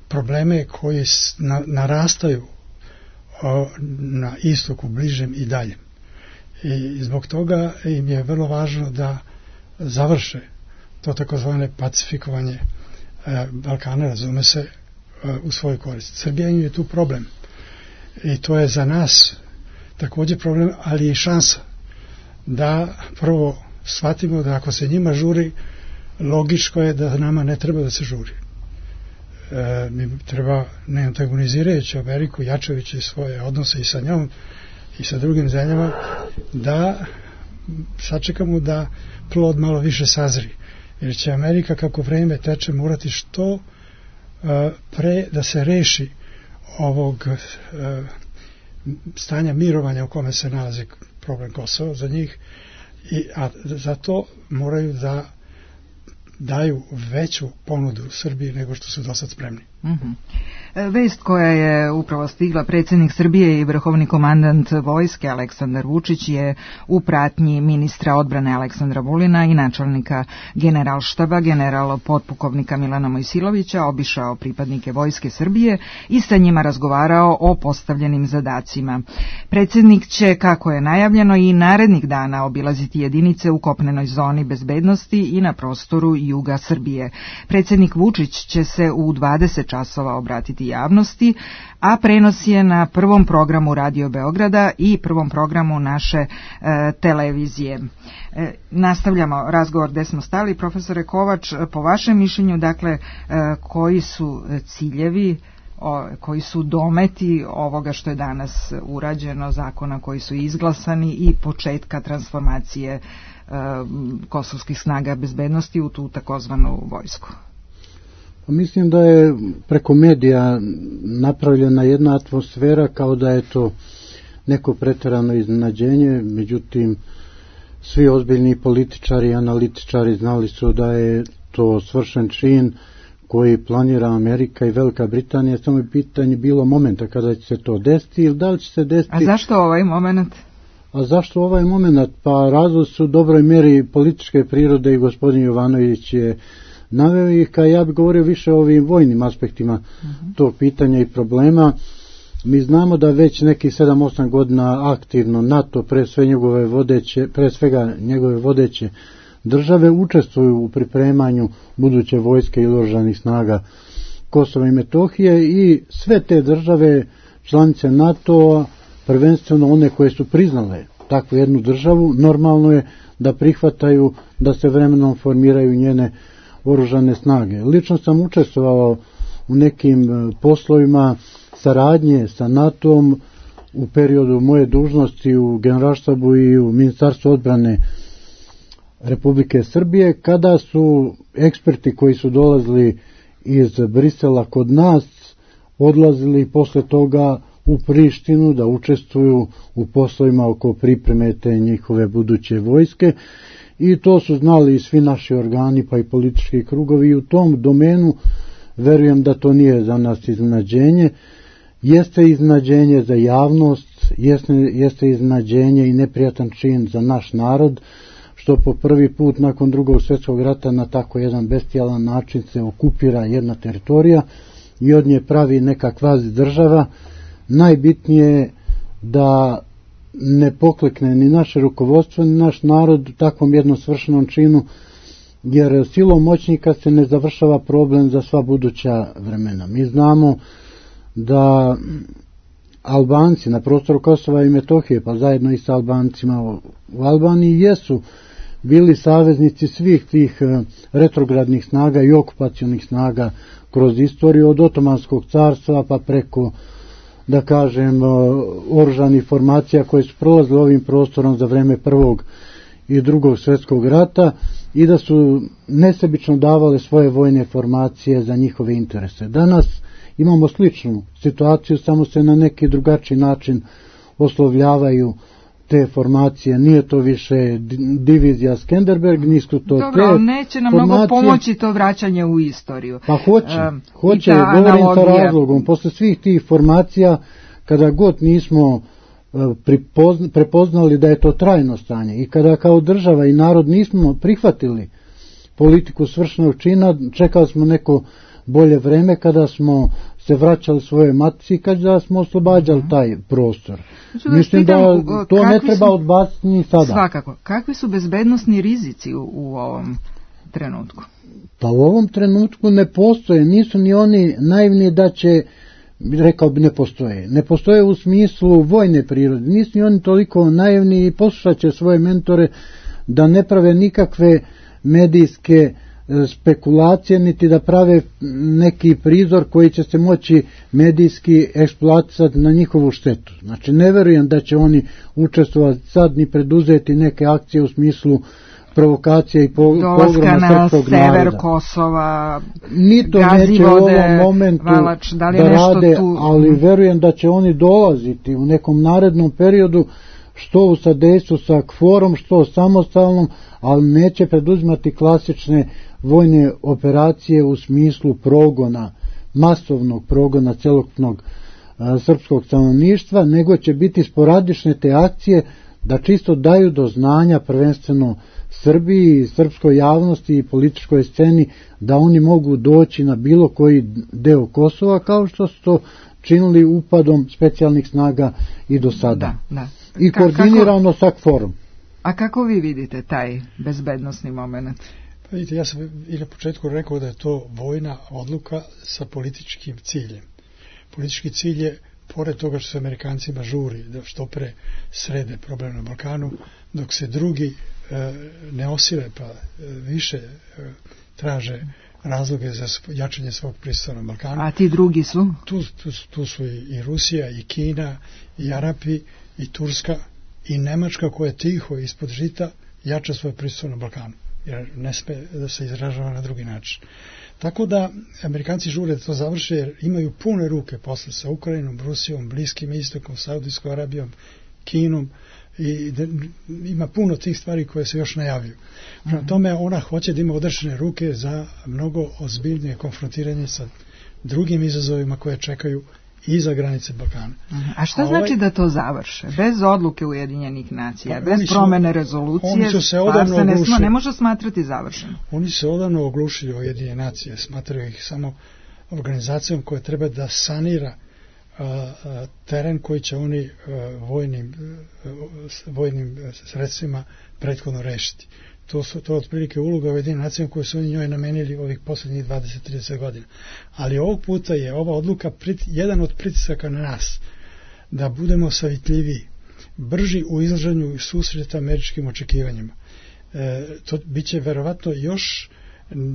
probleme koji na, narastaju a, na istoku, bližem i daljem. I zbog toga im je vrlo važno da završe to takozvane pacifikovanje a, Balkana, razume se, a, u svoj korist. Srbija im je tu problem. I to je za nas također problem, ali i šansa da prvo shvatimo da ako se njima žuri, logičko je da nama ne treba da se žuri. E, mi treba, ne antagonizirajući Ameriku, jačajući svoje odnose i sa njom i sa drugim zemljama, da sačekamo da plod malo više sazri. Jer će Amerika, kako vreme teče, morati što uh, pre da se reši ovog uh, stanja mirovanja u kome se nalazi problem Kosova za njih, i, a zato moraju da daju veću ponudu Srbiji nego što su do sad spremni. Mm-hmm. Vest koja je upravo stigla, predsjednik Srbije i vrhovni komandant vojske Aleksandar Vučić je u pratnji ministra odbrane Aleksandra Vulina i načelnika generalštaba general potpukovnika Milana Mojsilovića obišao pripadnike vojske Srbije i sa njima razgovarao o postavljenim zadacima. Predsjednik će, kako je najavljeno, i narednih dana obilaziti jedinice u kopnenoj zoni bezbednosti i na prostoru juga Srbije. Predsjednik Vučić će se u dvadeset časova časova obratiti javnosti, a prenos je na prvom programu Radio Beograda i prvom programu naše e, televizije. E, nastavljamo razgovor gde smo stali. Profesore Kovač, po vašem mišljenju, dakle, e, koji su ciljevi, o, koji su dometi ovoga što je danas urađeno, zakona koji su izglasani i početka transformacije e, kosovskih snaga bezbednosti u tu takozvanu vojsku? Mislim da je preko medija napravljena jedna atmosfera kao da je to neko preterano iznenađenje, međutim svi ozbiljni političari i analitičari znali su da je to svršen čin koji planira Amerika i Velika Britanija, samo je pitanje bilo momenta kada će se to desiti ili da li će se desiti. A zašto ovaj moment? A zašto ovaj moment? Pa razlog su u dobroj mjeri političke prirode i gospodin Jovanović je naveo ih, kao ja bih govorio više o ovim vojnim aspektima uh-huh. tog pitanja i problema. Mi znamo da već nekih sedam osam godina aktivno NATO, pre sve njegove vodeće, pre svega njegove vodeće države učestvuju u pripremanju buduće vojske i oružanih snaga Kosova i Metohije i sve te države članice NATO-a, prvenstveno one koje su priznale takvu jednu državu, normalno je da prihvataju da se vremenom formiraju njene oružane snage. Lično sam učestvovao u nekim poslovima saradnje sa NATO-om u periodu moje dužnosti u Generalštabu i u Ministarstvu odbrane Republike Srbije, kada su eksperti koji su dolazili iz Brisela kod nas odlazili posle toga u Prištinu da učestvuju u poslovima oko pripreme te njihove buduće vojske i to su znali i svi naši organi pa i politički krugovi i u tom domenu verujem da to nije za nas iznenađenje. Jeste iznenađenje za javnost, jeste, jeste iznenađenje i neprijatan čin za naš narod, što po prvi put nakon drugog svjetskog rata na tako jedan bestijalan način se okupira jedna teritorija i od nje pravi neka kvazi država. Najbitnije je da ne poklekne ni naše rukovodstvo, ni naš narod u takvom jednom svršenom činu, jer silom moćnika se ne završava problem za sva buduća vremena. Mi znamo da Albanci na prostoru Kosova i Metohije, pa zajedno i sa Albancima u Albaniji, jesu bili saveznici svih tih retrogradnih snaga i okupacionih snaga kroz istoriju od Otomanskog carstva pa preko, da kažem, oružanih formacija koje su prolazile ovim prostorom za vreme prvog i drugog svjetskog rata i da su nesebično davale svoje vojne formacije za njihove interese. Danas imamo sličnu situaciju, samo se na neki drugačiji način oslovljavaju te formacije. Nije to više divizija Skenderberg, nisu to Dobro, te Dobro, neće nam formacije. Mnogo pomoći to vraćanje u istoriju. Pa hoće, um, hoće, govorim sa razlogom. Posle svih tih formacija, kada god nismo prepoznali da je to trajno stanje i kada kao država i narod nismo prihvatili politiku svršenog čina, čekali smo neko bolje vreme kada smo se vraćali svoje matici i kada smo oslobađali taj prostor. Znači, Mislim da to ne treba su, odbaciti ni sada. Svakako. Kakvi su bezbednosni rizici u, u ovom trenutku? Pa u ovom trenutku ne postoje, nisu ni oni naivni da će, rekao bi ne postoje. Ne postoje u smislu vojne prirode. Nisu ni oni toliko naivni i poslušat će svoje mentore da ne prave nikakve medijske spekulacije, niti da prave neki prizor koji će se moći medijski eksploatisati na njihovu štetu. Znači, ne verujem da će oni učestvovati sad ni preduzeti neke akcije u smislu provokacija i pogroma srpskog naroda. Dolaska na sever Kosova, ni to neće u ovom momentu Valač, da, li da rade, tu... ali verujem da će oni dolaziti u nekom narednom periodu, što u sadejstvu sa kforom, što samostalnom, ali neće preduzimati klasične vojne operacije u smislu progona, masovnog progona celokupnog a, srpskog stanovništva, nego će biti sporadične te akcije da čisto daju do znanja prvenstveno Srbiji, srpskoj javnosti i političkoj sceni da oni mogu doći na bilo koji deo Kosova, kao što su to činili upadom specijalnih snaga i do sada. Da, da. I Ka, koordinirano kako, sa kforom. A kako vi vidite taj bezbednosni moment? Pa vidite, ja sam i na početku rekao da je to vojna odluka sa političkim ciljem. Politički cilj je, pored toga što se Amerikancima žuri da što pre srede problem na Balkanu, dok se drugi e, ne osile pa e, više e, traže razloge za jačanje svog prisutstva na Balkanu. A ti drugi su? Tu, tu, tu su i, i Rusija, i Kina, i Arapi, i Turska, i Nemačka koja tiho ispod žita jača svoje prisutstvo na Balkanu, jer ne sme da se izražava na drugi način. Tako da Amerikanci žure da to završe, jer imaju pune ruke posle sa Ukrajinom, Rusijom, Bliskim istokom, Saudijskom Arabijom, Kinom, i da, ima puno tih stvari koje se još najavljuju. Prema tome ona hoće da ima odrešene ruke za mnogo ozbiljnije konfrontiranje sa drugim izazovima koje čekaju iza granice Balkana. A šta A znači ovaj, da to završe? Bez odluke Ujedinjenih nacija, pa, bez su, promene rezolucije, oni su se odavno se ne, oglušili, ne može smatrati završeno. Oni se odavno oglušili Ujedinjene nacije, smatraju ih samo organizacijom koja treba da sanira a, a, teren koji će oni a, vojnim, a, vojnim sredstvima prethodno rešiti. To su to otprilike uloga Ujedinjenih nacija koje su oni njoj namenili ovih poslednjih dvadeset do trideset godina. Ali ovog puta je ova odluka prit, jedan od pritisaka na nas da budemo savitljiviji, brži u izlaženju i susreta američkim očekivanjima. E, to biće verovatno još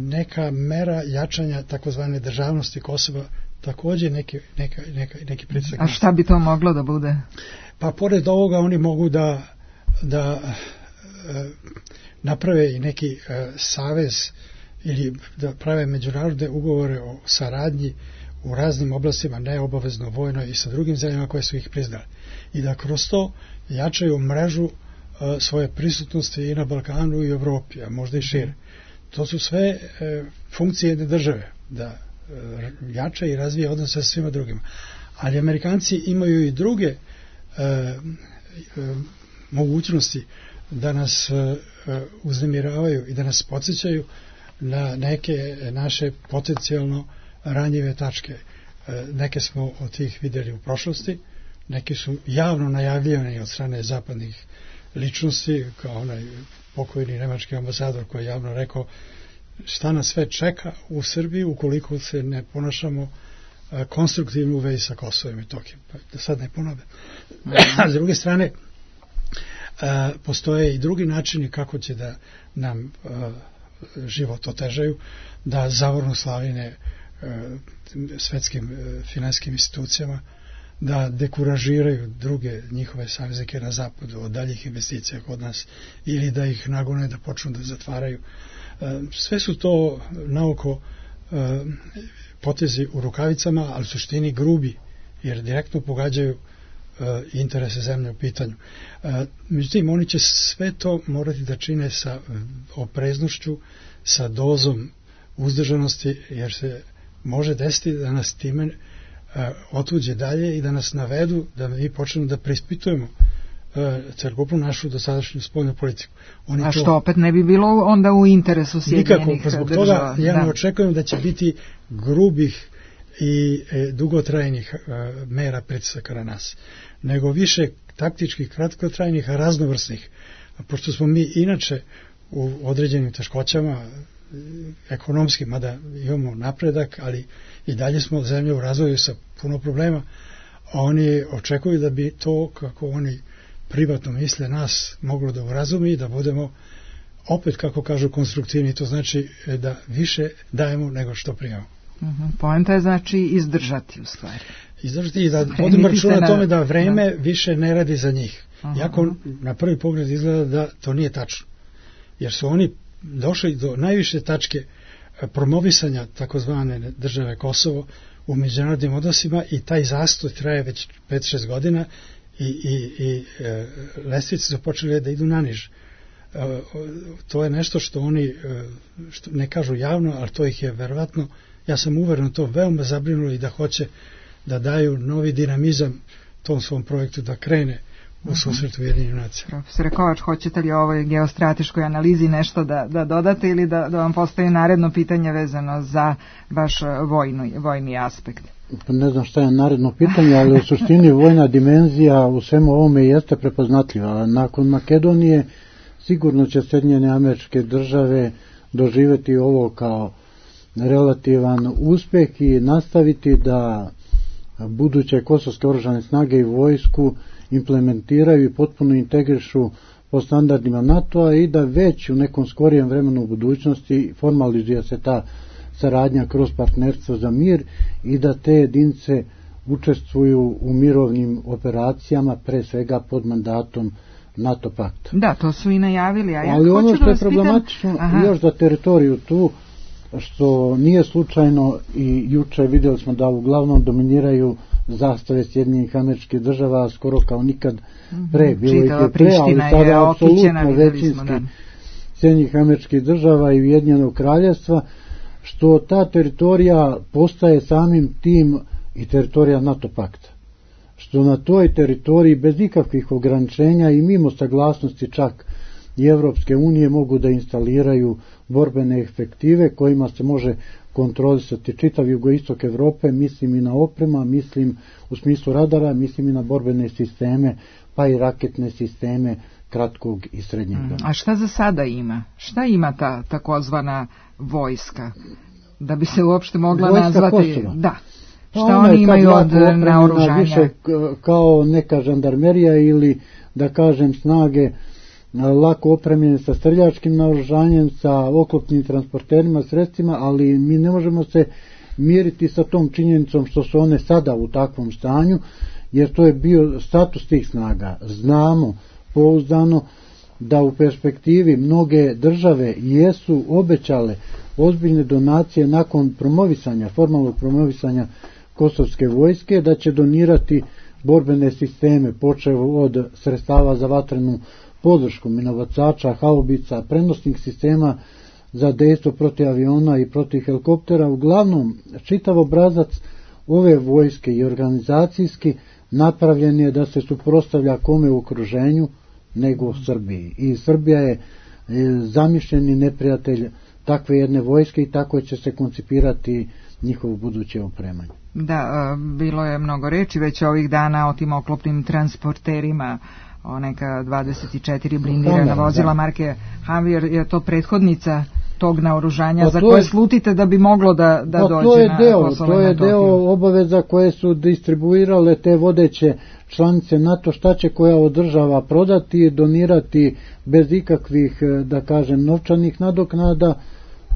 neka mera jačanja takozvane državnosti Kosova, takođe neki, neka, neka, neki pritisak. A šta bi to moglo da bude? Pa pored ovoga oni mogu da da e, naprave i neki e, savez ili da prave međunarodne ugovore o saradnji u raznim oblastima, neobavezno vojno i sa drugim zemljama koje su ih priznali. I da kroz to jačaju mrežu e, svoje prisutnosti i na Balkanu i Evropi, a možda i šire. To su sve e, funkcije jedne države, da e, jača i razvija odnose sa svima drugima. Ali Amerikanci imaju i druge e, e, mogućnosti da nas e, uznemiravaju i da nas podsjećaju na neke naše potencijalno ranjive tačke. E, neke smo od tih vidjeli u prošlosti, neki su javno najavljivani od strane zapadnih ličnosti, kao onaj pokojni nemački ambasador koji je javno rekao šta nas sve čeka u Srbiji ukoliko se ne ponašamo e, konstruktivno u vezi sa Kosovom i Metohijom. Pa da sad ne ponove. A s druge strane, e, postoje i drugi načini kako će da nam e, život otežaju, da zavornu slavine e, svetskim e, finansijskim institucijama, da dekuražiraju druge njihove saveznike na zapadu od daljih investicija kod nas ili da ih nagone da počnu da zatvaraju. Sve su to naoko potezi u rukavicama, ali u suštini grubi, jer direktno pogađaju interese zemlje u pitanju. Međutim, oni će sve to morati da čine sa opreznošću, sa dozom uzdržanosti, jer se može desiti da nas time otuđe dalje i da nas navedu da mi počnemo da preispitujemo celokupnu našu dosadašnju spoljnu politiku. Oni A što to, opet ne bi bilo onda u interesu Sjedinjenih nikako, zbog toga ja ne očekujem da će biti grubih i e, dugotrajnih e, mera pritisaka na nas, nego više taktičkih, kratkotrajnih, raznovrsnih. A pošto smo mi inače u određenim teškoćama ekonomski, mada imamo napredak, ali i dalje smo zemlje u razvoju sa puno problema, a oni očekuju da bi to, kako oni privatno misle, nas moglo da urazumi i da budemo opet, kako kažu, konstruktivni. To znači da više dajemo nego što primamo. Uh-huh. Poenta je znači izdržati u stvari. Izdržati i da vodimo računa na tome da vreme da. više ne radi za njih. Uh-huh. Jako na prvi pogled izgleda da to nije tačno. Jer su oni došli do najviše tačke promovisanja takozvane države Kosovo u međunarodnim odnosima i taj zastoj traje već pet šest godina i, i, i e, lestvice su počeli da idu naniže. E, to je nešto što oni e, što ne kažu javno, ali to ih je verovatno, ja sam uveren to veoma zabrinulo i da hoće da daju novi dinamizam tom svom projektu da krene u susretu Ujedinjenih nacija. Profesore Kovač, hoćete li o ovoj geostrateškoj analizi nešto da, da dodate ili da, da vam postoji naredno pitanje vezano za baš vojnu, vojni aspekt? Ne znam šta je naredno pitanje, ali u suštini vojna dimenzija u svemu ovome jeste prepoznatljiva. Nakon Makedonije sigurno će Sjedinjene Američke Države doživjeti ovo kao relativan uspjeh i nastaviti da buduće kosovske oružane snage i vojsku implementiraju i potpuno integrišu po standardima NATO-a i da već u nekom skorijem vremenu u budućnosti formalizuje se ta saradnja kroz partnerstvo za mir i da te jedinice učestvuju u mirovnim operacijama, pre svega pod mandatom NATO pakta. Da, to su i najavili. A ja Ali ono što da je problematično pitam... još za teritoriju tu, što nije slučajno i juče vidjeli smo da uglavnom dominiraju zastave Sjedinjenih Američkih Država skoro kao nikad pre. Bilo ih je pre, ali sada apsolutno većinski Sjedinjenih Američkih Država i Ujedinjenog Kraljevstva, što ta teritorija postaje samim tim i teritorija NATO pakta. Što na toj teritoriji bez ikakvih ograničenja i mimo saglasnosti čak i Evropske unije mogu da instaliraju borbene efektive kojima se može kontrolisati čitav jugoistok Evrope, mislim i na oprema, mislim u smislu radara, mislim i na borbene sisteme, pa i raketne sisteme kratkog i srednjeg dana. A šta za sada ima? Šta ima ta takozvana vojska? Da bi se uopšte mogla vojska nazvati... Kosova. Da. Pa šta oni imaju od naoružanja? Više kao neka žandarmerija ili da kažem snage lako opremljene sa streljačkim naoružanjem, sa oklopnim transporterima, sredstvima, ali mi ne možemo se miriti sa tom činjenicom što su one sada u takvom stanju, jer to je bio status tih snaga. Znamo pouzdano da u perspektivi mnoge države jesu obećale ozbiljne donacije nakon promovisanja, formalnog promovisanja kosovske vojske, da će donirati borbene sisteme, počev od sredstava za vatrenu podršku, minobacača, haubica, prenosnih sistema za dejstvo protiv aviona i protiv helikoptera. Uglavnom, čitav obrazac ove vojske i organizacijski napravljen je da se suprotstavlja kome u okruženju nego Srbiji. I Srbija je zamišljeni neprijatelj takve jedne vojske i tako će se koncipirati njihovo buduće opremanje. Da, bilo je mnogo reči već ovih dana o tim oklopnim transporterima, o neka dvadeset četiri blindirana vozila marke Hamvir. Je to prethodnica tog naoružanja za koje slutite da bi moglo da, da dođe to je na deo, Kosovo to i je Metohiju? deo obaveza koje su distribuirale te vodeće članice NATO, šta će koja od država prodati, donirati bez ikakvih, da kažem, novčanih nadoknada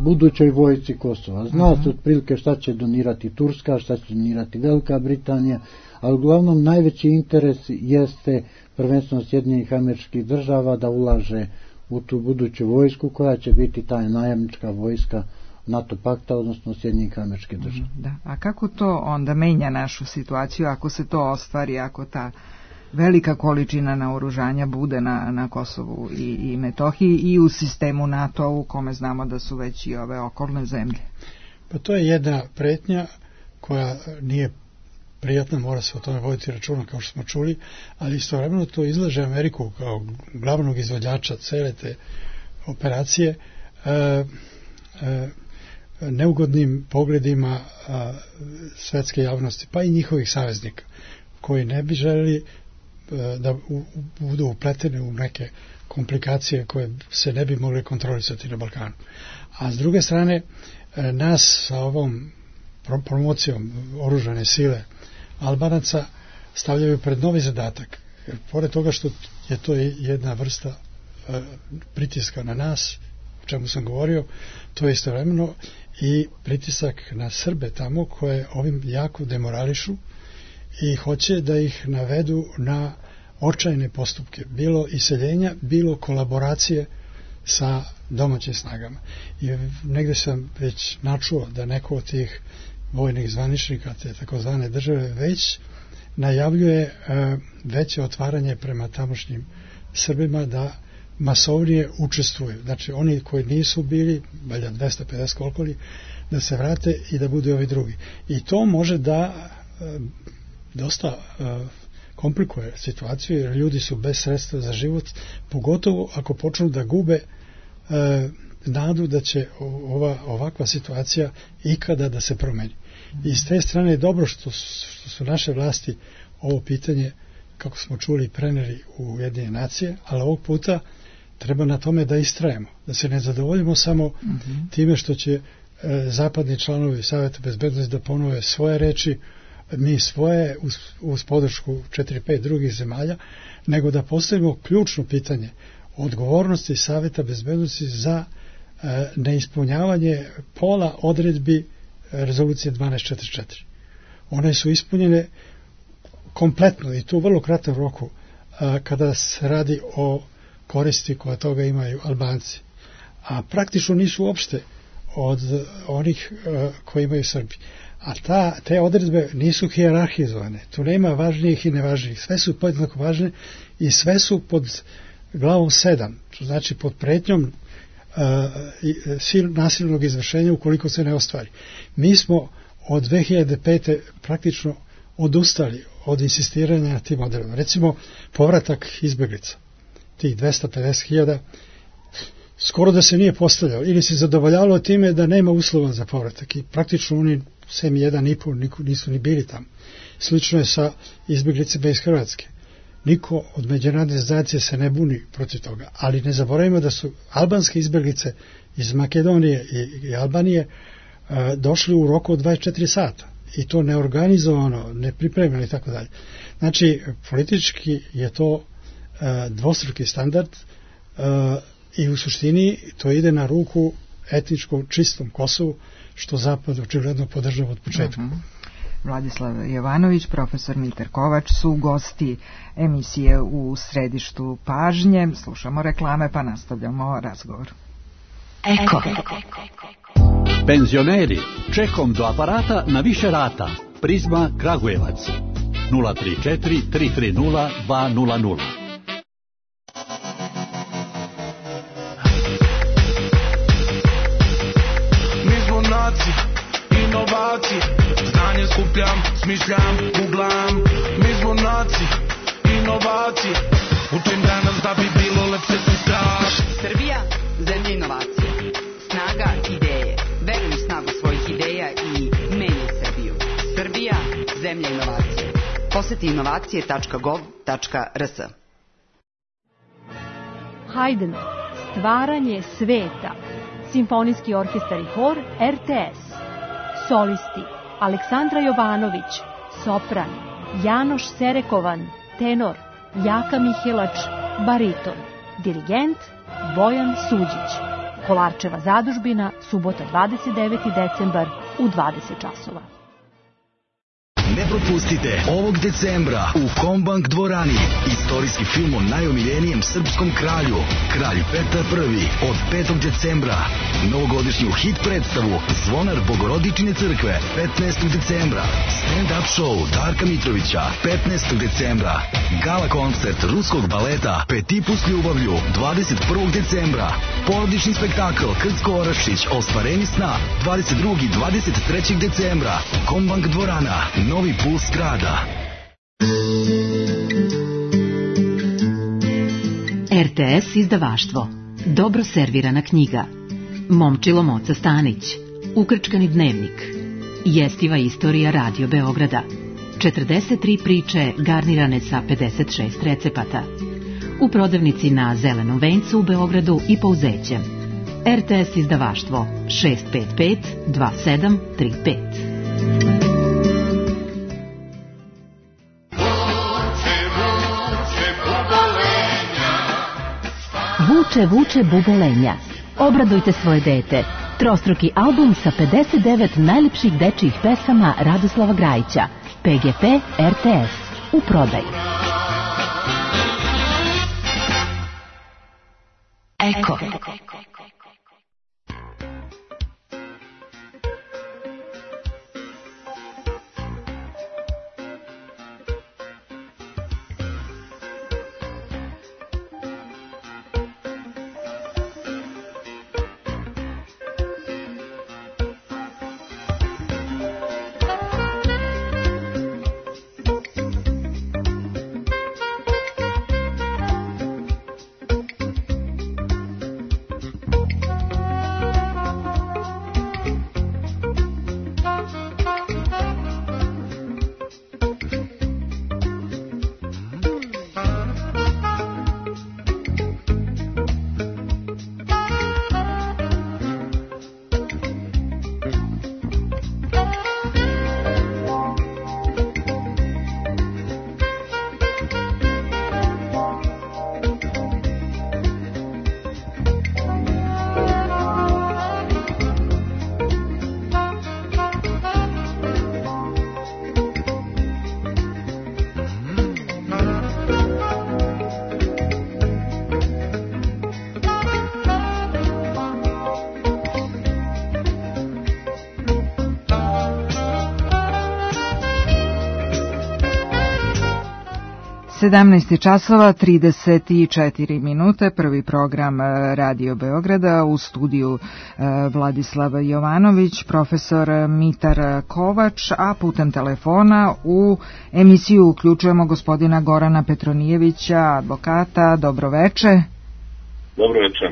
budućoj vojsci Kosova. Zna se otprilike šta će donirati Turska, šta će donirati Velika Britanija, ali uglavnom najveći interes jeste prvenstveno Sjedinjenih Američkih Država da ulaže u tu buduću vojsku koja će biti ta najamnička vojska NATO pakta, odnosno Sjedinjenih Američkih Država. Da. A kako to onda menja našu situaciju ako se to ostvari, ako ta velika količina naoružanja bude na, na Kosovu i, i Metohiji i u sistemu NATO u kome znamo da su već i ove okolne zemlje? Pa to je jedna pretnja koja nije prijatna, mora se o tome voditi računa kao što smo čuli, ali istovremeno to izlaže Ameriku kao glavnog izvođača cele te operacije e, e, neugodnim pogledima a, svetske javnosti, pa i njihovih saveznika, koji ne bi želeli a, da u, u, budu upletene u neke komplikacije koje se ne bi mogle kontrolisati na Balkanu. A s druge strane, a, nas sa ovom promocijom oružane sile Albanaca stavljaju pred novi zadatak. Jer pored toga što je to jedna vrsta e, pritiska na nas, o čemu sam govorio, to je istovremeno i pritisak na Srbe tamo koje ovim jako demorališu i hoće da ih navedu na očajne postupke, bilo iseljenja, bilo kolaboracije sa domaćim snagama. I negde sam već načuo da neko od tih vojnih zvaničnika, te takozvane države, već najavljuje e, veće otvaranje prema tamošnjim Srbima da masovnije učestvuju. Znači, oni koji nisu bili, valjda dvesta pedeset koliko li, da se vrate i da budu ovi drugi. I to može da e, dosta e, komplikuje situaciju, jer ljudi su bez sredstva za život, pogotovo ako počnu da gube e, nadu da će ova, ovakva situacija ikada da se promeni. I s te strane je dobro što su, što su naše vlasti ovo pitanje, kako smo čuli, preneli u Ujedinjene nacije, ali ovog puta treba na tome da istrajemo, da se ne zadovoljimo samo mm-hmm. time što će e, zapadni članovi Saveta bezbednosti da ponove svoje reči, mi svoje uz, uz podršku četiri pet drugih zemalja, nego da postavimo ključno pitanje odgovornosti Saveta bezbednosti za e, neispunjavanje pola odredbi rezolucije dvanaest četrdeset četiri. One su ispunjene kompletno i tu u vrlo kratkom roku a, kada se radi o koristi koje toga imaju Albanci. A praktično nisu uopšte od onih a, koji imaju Srbi. A ta, te odredbe nisu hijerarhizovane. Tu nema važnijih i nevažnijih. Sve su podjednako važne i sve su pod glavom sedam. To znači pod pretnjom uh, nasilnog izvršenja ukoliko se ne ostvari. Mi smo od dve hiljade pete praktično odustali od insistiranja na tim odredbama. Recimo, povratak izbeglica, tih dvesta pedeset hiljada, skoro da se nije postavljao ili se zadovoljavalo time da nema uslova za povratak i praktično oni sem jedan i pol nisu ni bili tamo. Slično je sa izbjeglicima iz Hrvatske. Niko od međunarodne zajednice se ne buni protiv toga, ali ne zaboravimo da su albanske izbjeglice iz Makedonije i, i Albanije uh, došli u roku od dvadeset četiri sata i to neorganizovano, nepripremljeno i tako dalje. Znači, politički je to uh, dvostruki standard uh, i u suštini to ide na ruku etničkom čistom Kosovu, što Zapad očigledno podržava od početka. Uh-huh. Vladislav Jovanović, profesor Mitar Kovač su gosti emisije u središtu pažnje. Slušamo reklame pa nastavljamo razgovor. Eko. Penzioneri, čekom do aparata na više rata. Prizma Kragujevac. nula tri četiri tri tri nula dva nula nula. Mi smo naci, inovaci. Znanje skupljam, smišljam, googlam. Mi smo naci, inovaci. Učim danas da bi bilo lepše sutra. Srbija, zemlja inovacija. Snaga ideje. Veruj u snagu svojih ideja i menjaj Srbiju. Srbija, zemlja inovacije. Poseti inovacije tačka gov tačka r s. Haydn, stvaranje sveta. Simfonijski orkestar i hor R T S. Solisti Aleksandra Jovanović, sopran, Janoš Serekovan, tenor, Jaka Mihelač, bariton, dirigent Bojan Suđić. Kolarčeva zadužbina, subota dvadeset deveti decembar u dvadeset časova. Ne propustite ovog decembra u Kombank dvorani istorijski film o najomiljenijem srpskom kralju, kralj Petar Prvi, od petog decembra. Novogodišnju hit predstavu Zvonar Bogorodične crkve petnaestog decembra. Stand-up show Darka Mitrovića petnaestog decembra. Gala koncert ruskog baleta Petipu s ljubavlju dvadeset prvog decembra. Porodični spektakl Krcko Orašić Ostvarenje sna dvadeset drugog i dvadeset trećeg decembra. Kombank dvorana, novi puls grada. R T S izdavaštvo. Dobro servirana knjiga. Momčilo Moca Stanić. Ukrčkani dnevnik. Jestiva istorija Radio Beograda. četrdeset tri priče garnirane sa pedeset šest recepata. U prodavnici na Zelenom vencu u Beogradu i Pouzećem. R T S izdavaštvo šest pet pet dva sedam tri pet. Vuče, vuče bubolenja. Obradujte svoje dete. Trostruki album sa pedeset devet najlepših dečijih pesama Radoslava Grajića. P G P R T S. U prodaju. Eko. sedamnaest časova trideset četiri minute, prvi program Radio Beograda, u studiju Vladislav Jovanović, profesor Mitar Kovač, a putem telefona u emisiju uključujemo gospodina Gorana Petronijevića, advokata. Dobroveče. Dobroveče.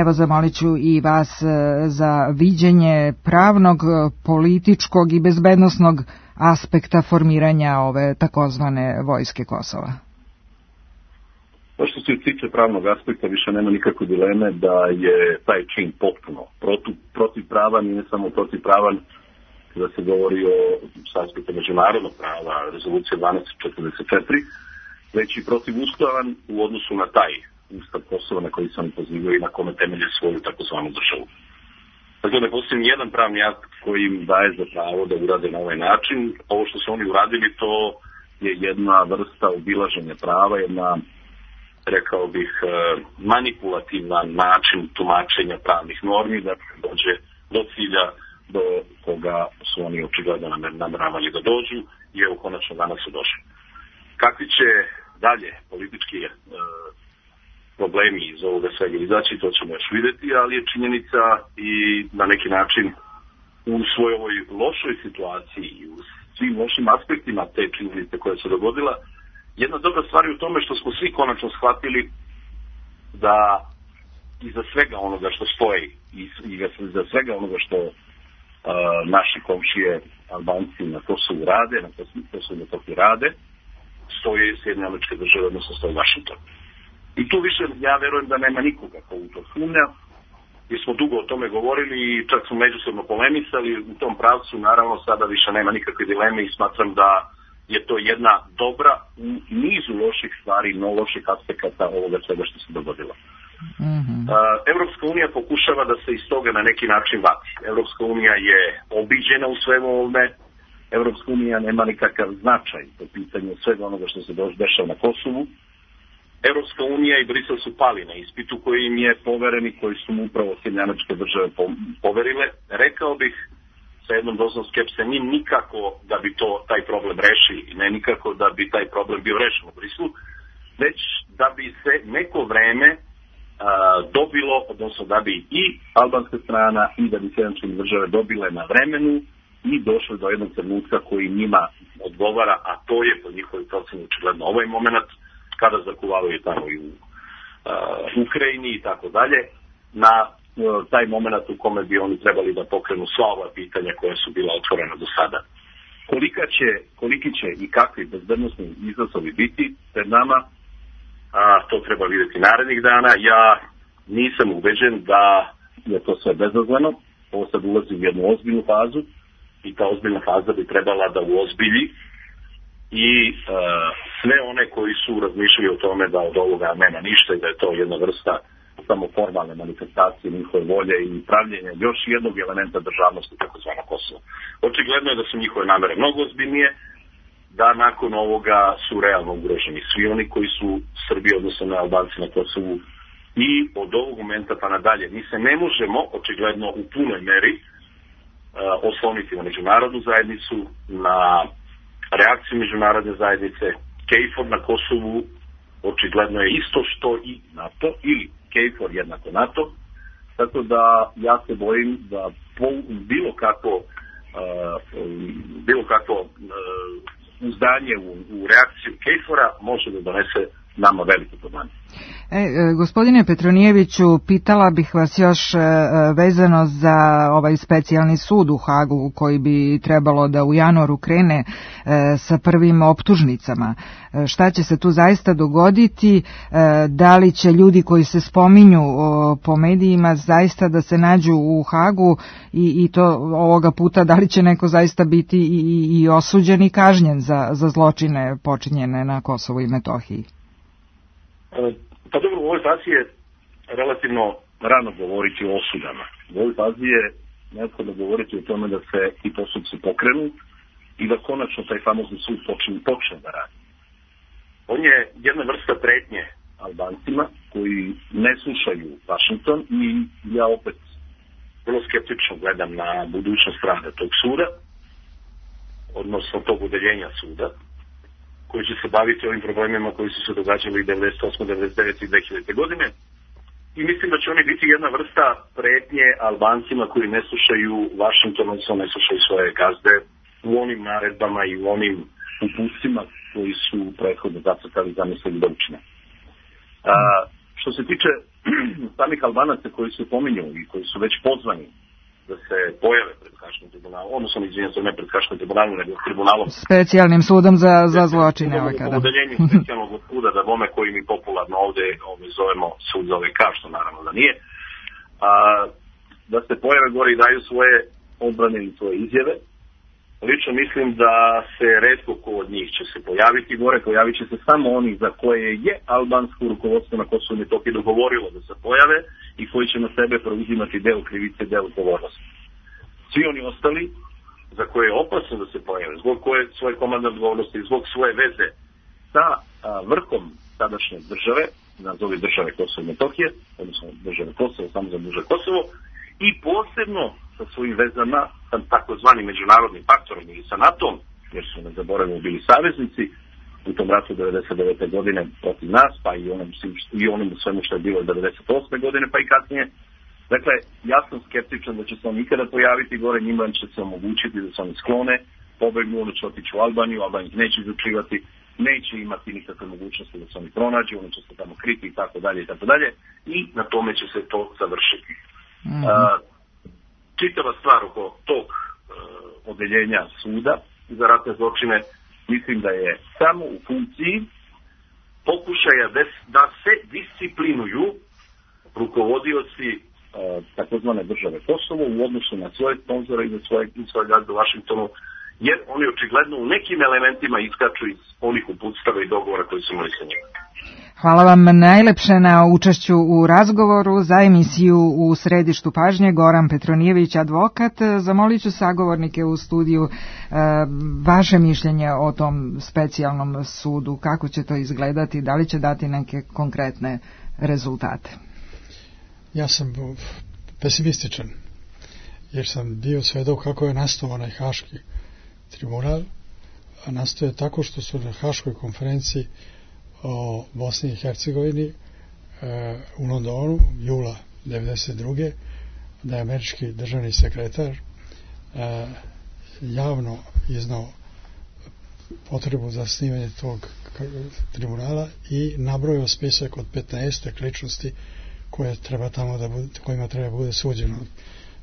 Evo, zamolit ću i vas za viđenje pravnog, političkog i bezbednosnog aspekta formiranja ove takozvane vojske Kosova. To što se tiče pravnog aspekta, više nema nikakve dileme da je taj čin potpuno protiv, protivpravan i ne samo protivpravan kada se govori o aspektu međunarodnog prava, rezolucije dvanaest četrdeset četiri, već i protivustavan u odnosu na taj ustav Kosova na koji se oni pozivaju i na kome temelje svoju takozvanu državu. Dakle, ne postoji jedan pravni akt koji im daje za pravo da urade na ovaj način. Ovo što su oni uradili, to je jedna vrsta obilaženja prava, jedna, rekao bih, manipulativan način tumačenja pravnih normi, da dođe do cilja do koga su oni očigledno nameravali da dođu i evo konačno danas su došli. Kakvi će dalje politički e, problemi iz ovoga svega izaći, to ćemo još vidjeti, ali je činjenica i na neki način u svojoj ovoj lošoj situaciji i u svim lošim aspektima te činjenice koja se dogodila, jedna dobra stvar je u tome što smo svi konačno shvatili da iza svega onoga što stoji i iza svega onoga što uh, naši komšije Albanci na Kosovu rade, na Kosovu na Metohiji rade, stoje Sjedinjene Američke Države, odnosno stoji Vašington. I tu više, ja verujem da nema nikoga ko u to sumnja, jer smo dugo o tome govorili i čak smo međusobno polemisali u tom pravcu, naravno sada više nema nikakve dileme i smatram da je to jedna dobra u nizu loših stvari, no loših aspekata ovoga svega što se dogodilo. Mm-hmm. Uh, Evropska unija pokušava da se iz toga na neki način vati. Evropska unija je obiđena u svemu ovome, Evropska unija nema nikakav značaj po pitanju svega onoga što se dešava na Kosovu. Evropska unija i Brisel su pali na ispitu koji im je poveren i koji su mu upravo Sjedinjene Američke Države poverile. Rekao bih sa jednom dozom skepse, ni nikako da bi to taj problem rešili, ne nikako da bi taj problem bio rešen u Briselu, već da bi se neko vreme a, dobilo, odnosno da bi i albanska strana i da bi Sjedinjene Američke Države dobile na vremenu i došli do jednog trenutka koji njima odgovara, a to je po njihovoj proceni očigledno ovaj moment kada zakuvavaju tamo i u uh, Ukrajini i tako dalje, na uh, taj moment u kome bi oni trebali da pokrenu sva ova pitanja koja su bila otvorena do sada. Kolika će, koliki će i kakvi bezbednosni izazovi biti pred nama, a to treba vidjeti narednih dana. Ja nisam ubeđen da je to sve bezazleno, ovo sad ulazi u jednu ozbiljnu fazu i ta ozbiljna faza bi trebala da uozbilji i uh, sve one koji su razmišljali o tome da od ovoga nema ništa i da je to jedna vrsta samo formalne manifestacije njihove volje i pravljenja još jednog elementa državnosti takozvana Kosova. Očigledno je da su njihove namere mnogo ozbiljnije, da nakon ovoga su realno ugroženi svi oni koji su Srbi, odnosno na Albanci na Kosovu, i od ovog momenta pa nadalje mi se ne možemo očigledno u punoj meri uh, osloniti na međunarodnu zajednicu, na reakciju međunarodne zajednice. KFOR na Kosovu očigledno je isto što i NATO, ili KFOR jednako NATO, tako da ja se bojim da po, bilo kako uh, bilo kako uh, uzdanje u, u reakciju KFOR-a može da donese nama velike probleme. E, gospodine Petronijeviću, pitala bih vas još e, vezano za ovaj specijalni sud u Hagu koji bi trebalo da u januaru krene e, sa prvim optužnicama. E, šta će se tu zaista dogoditi? E, da li će ljudi koji se spominju o, po medijima zaista da se nađu u Hagu i, i to ovoga puta da li će neko zaista biti i, i, i osuđen i kažnjen za, za zločine počinjene na Kosovu i Metohiji? Pa dobro, u ovoj fazi je relativno rano govoriti o osudama. U ovoj fazi je neophodno govoriti o tome da se ti postupci pokrenu i da konačno taj famozni sud počne, počne da radi. On je jedna vrsta pretnje Albancima koji ne slušaju Vašington i ja opet vrlo skeptično gledam na budućnost rada tog suda, odnosno tog udeljenja suda, koji će se baviti ovim problemima koji su se događali devedeset osme, devedeset devete i dve hiljadite. godine. I mislim da će oni biti jedna vrsta pretnje Albancima koji ne slušaju Washington, odnosno ne slušaju svoje gazde u onim naredbama i u onim upustima koji su prethodno zacrtali, zamislili da učine. A, što se tiče samih Albanaca koji se pominju i koji su već pozvani da se pojave pred Haškim tribunalom, odnosno izvinjam se ne pred Haškim tribunalom, nego tribunalom specijalnim sudom za, za zločine ovaj kada. U udeljenju specijalnog suda da bome koji mi popularno ovde, ovde zovemo sud za ove kao, što naravno da nije, a, da se pojave gore i daju svoje odbrane i svoje izjave. Lično mislim da se retko ko od njih će se pojaviti gore, pojavit će se samo oni za koje je albansko rukovodstvo na Kosovu i Metohiji dogovorilo da se pojave i koji će na sebe preuzimati deo krivice, deo odgovornosti. Svi oni ostali za koje je opasno da se pojave, zbog koje svoje komandne odgovornosti, zbog svoje veze sa a, vrhom tadašnje države, nazove države Kosovo i Metohije, odnosno države Kosovo, samo za duže Kosovo, i posebno sa svojim vezama sa takozvanim međunarodnim faktorom ili sa NATO-om, jer su ne zaboravimo bili saveznici u tom ratu devedeset devete. godine protiv nas, pa i onom, i onom svemu što je bilo devedeset osme. godine, pa i kasnije. Dakle, ja sam skeptičan da će se on nikada pojaviti gore, njima će se omogućiti da se oni sklone, pobegnu, oni će otići u Albaniju, Albanija neće izručivati, neće imati nikakve mogućnosti da se oni pronađu, oni će se tamo kriti i tako dalje i tako dalje, i na tome će se to završiti. Mm-hmm. A, čitava stvar oko tog uh, odeljenja suda za ratne zločine mislim da je samo u funkciji pokušaja des, da se disciplinuju rukovodioci uh, takozvane države Kosovo u odnosu na svoje sponzore i na svoje, svoje gazde u Vašingtonu, jer oni očigledno u nekim elementima iskaču iz onih uputstava i dogovora koji su imali sa njima. Hvala vam najlepše na učešću u razgovoru. Za emisiju U središtu pažnje Goran Petronijević, advokat. Zamolit ću sagovornike u studiju vaše mišljenje o tom specijalnom sudu. Kako će to izgledati? Da li će dati neke konkretne rezultate? Ja sam pesimističan, jer sam bio svedok kako je nastao onaj Haški tribunal. A nastao je tako što su na Haškoj konferenciji o Bosni i Hercegovini e, u Londonu jula devedeset druge. da je američki državni sekretar e, javno iznao potrebu za snimanje tog tribunala i nabrojao spisak od petnaest ličnosti koje treba tamo da bude, kojima treba bude suđeno.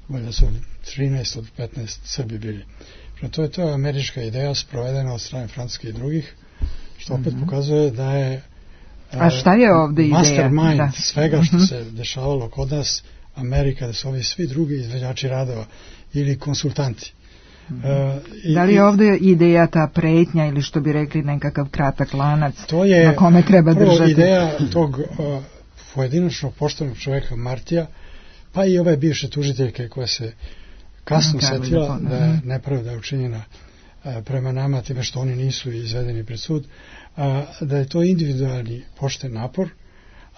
Valjda su trinaest od petnaest Srbi bili. To je to američka ideja sprovedena od strane Francuske i drugih, što opet mm-hmm. pokazuje da je A šta je ovdje ideja? Mastermind da. svega što mm-hmm. se dešavalo kod nas, Amerika, da su ovi svi drugi izvođači radova ili konsultanti. Mm-hmm. Uh, i, da li je ovdje ideja ta pretnja ili što bi rekli nekakav kratak lanac to je na kome treba prvo držati? Ideja tog uh, pojedinačnog poštenog čovjeka Martija, pa i ove bivše tužiteljke koja se kasno setila da je nepravda učinjena prema nama time što oni nisu izvedeni pred sud, da je to individualni pošten napor,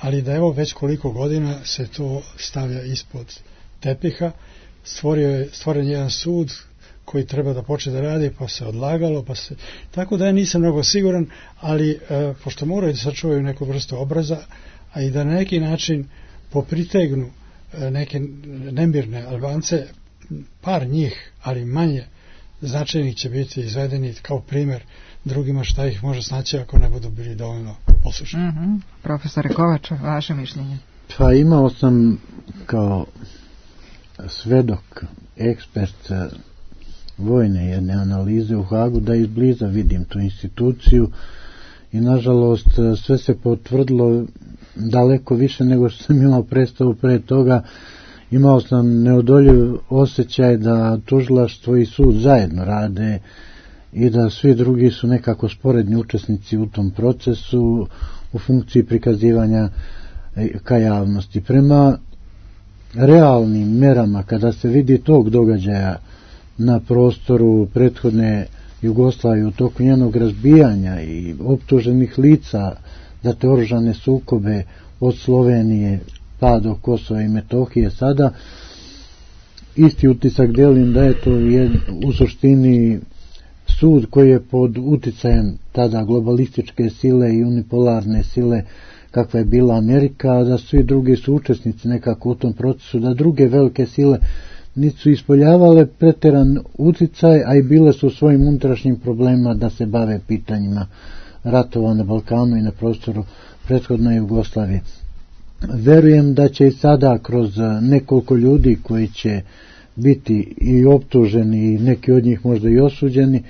ali da evo već koliko godina se to stavlja ispod tepiha. Stvorio je, stvoren jedan sud koji treba da počne da radi, pa se odlagalo, pa se... Tako da ja nisam mnogo siguran, ali e, pošto moraju da sačuvaju neku vrstu obraza, a i da na neki način popritegnu e, neke nemirne Albance, par njih, ali manje značajnih će biti izvedeni kao primjer drugima šta ih može snaći ako ne budu bili dovoljno poslušni. Mm-hmm. Profesore Kovač, vaše mišljenje? Pa imao sam kao svedok, ekspert vojne jedne analize u Hagu da izbliza vidim tu instituciju i nažalost sve se potvrdilo daleko više nego što sam imao predstavu pre toga. Imao sam neodoljiv osjećaj da tužilaštvo i sud zajedno rade i da svi drugi su nekako sporedni učesnici u tom procesu u funkciji prikazivanja ka javnosti. Prema realnim merama, kada se vidi tog događaja na prostoru prethodne Jugoslavije u toku njenog razbijanja i optuženih lica za te oružane sukobe od Slovenije pa do Kosova i Metohije, sada isti utisak delim da je to je u suštini sud koji je pod uticajem tada globalističke sile i unipolarne sile kakva je bila Amerika, a da svi drugi su učesnici nekako u tom procesu, da druge velike sile nisu ispoljavale preteran uticaj, a i bile su u svojim unutrašnjim problemima da se bave pitanjima ratova na Balkanu i na prostoru prethodne Jugoslavije. Verujem da će i sada kroz nekoliko ljudi koji će biti i optuženi i neki od njih možda i osuđeni,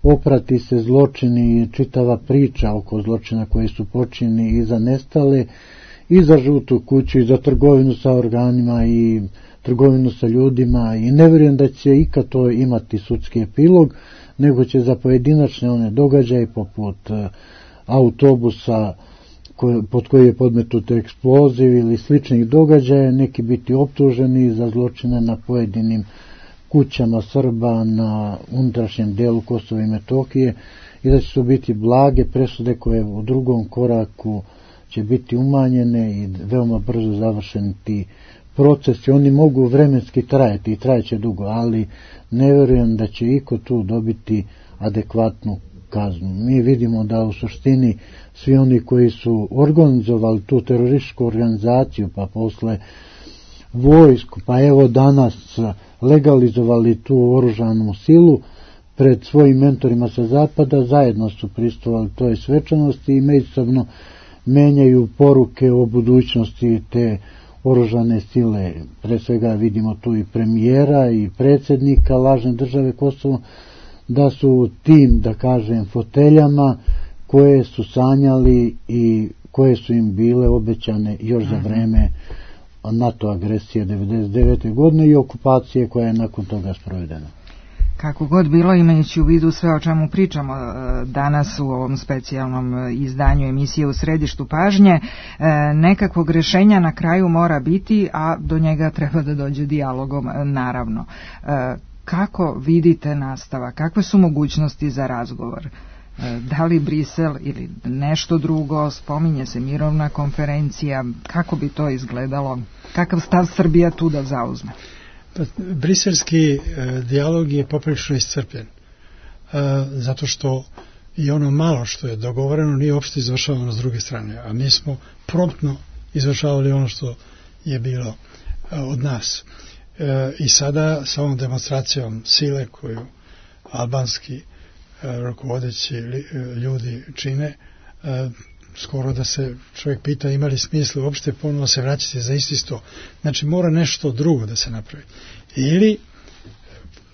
oprati se zločini i čitava priča oko zločina koji su počinjeni i za nestale, i za žutu kuću, i za trgovinu sa organima i trgovinu sa ljudima, i ne vjerujem da će ikad to imati sudski epilog, nego će za pojedinačne one događaje poput autobusa pod koji je podmetut eksploziv ili sličnih događaja neki biti optuženi za zločine na pojedinim kućama Srba na unutrašnjem delu Kosova i Metohije i da će to biti blage presude koje u drugom koraku će biti umanjene i veoma brzo završeni ti procesi. Oni mogu vremenski trajati i trajeće dugo, ali ne vjerujem da će iko tu dobiti adekvatnu kaznu. Mi vidimo da u suštini svi oni koji su organizovali tu terorističku organizaciju, pa posle vojsku, pa evo danas legalizovali tu oružanu silu pred svojim mentorima sa zapada, zajedno su pristovali toj svečanosti i međusobno menjaju poruke o budućnosti te oružane sile. Pre svega vidimo tu i premijera i predsjednika lažne države Kosovo, da su tim, da kažem, foteljama koje su sanjali i koje su im bile obećane još za vreme NATO agresije devedeset devete godine i okupacije koja je nakon toga sprovedena. Kako god bilo, imajući u vidu sve o čemu pričamo danas u ovom specijalnom izdanju emisije U središtu pažnje, nekakvog rješenja na kraju mora biti, a do njega treba da dođe dijalogom, naravno. Kako vidite nastava? Kakve su mogućnosti za razgovor? Da li Brisel ili nešto drugo? Spominje se mirovna konferencija. Kako bi to izgledalo? Kakav stav Srbija tu da zauzme? Pa, briselski e, dijalog je poprilično iscrpljen. E, zato što i ono malo što je dogovoreno nije uopšte izvršavano s druge strane. A mi smo promptno izvršavali ono što je bilo e, od nas. E, I sada sa ovom demonstracijom sile koju albanski e, rukovodeći ljudi čine, e, skoro da se čovjek pita ima li smisla uopšte ponovo se vraćati za isti sto. Znači mora nešto drugo da se napravi. Ili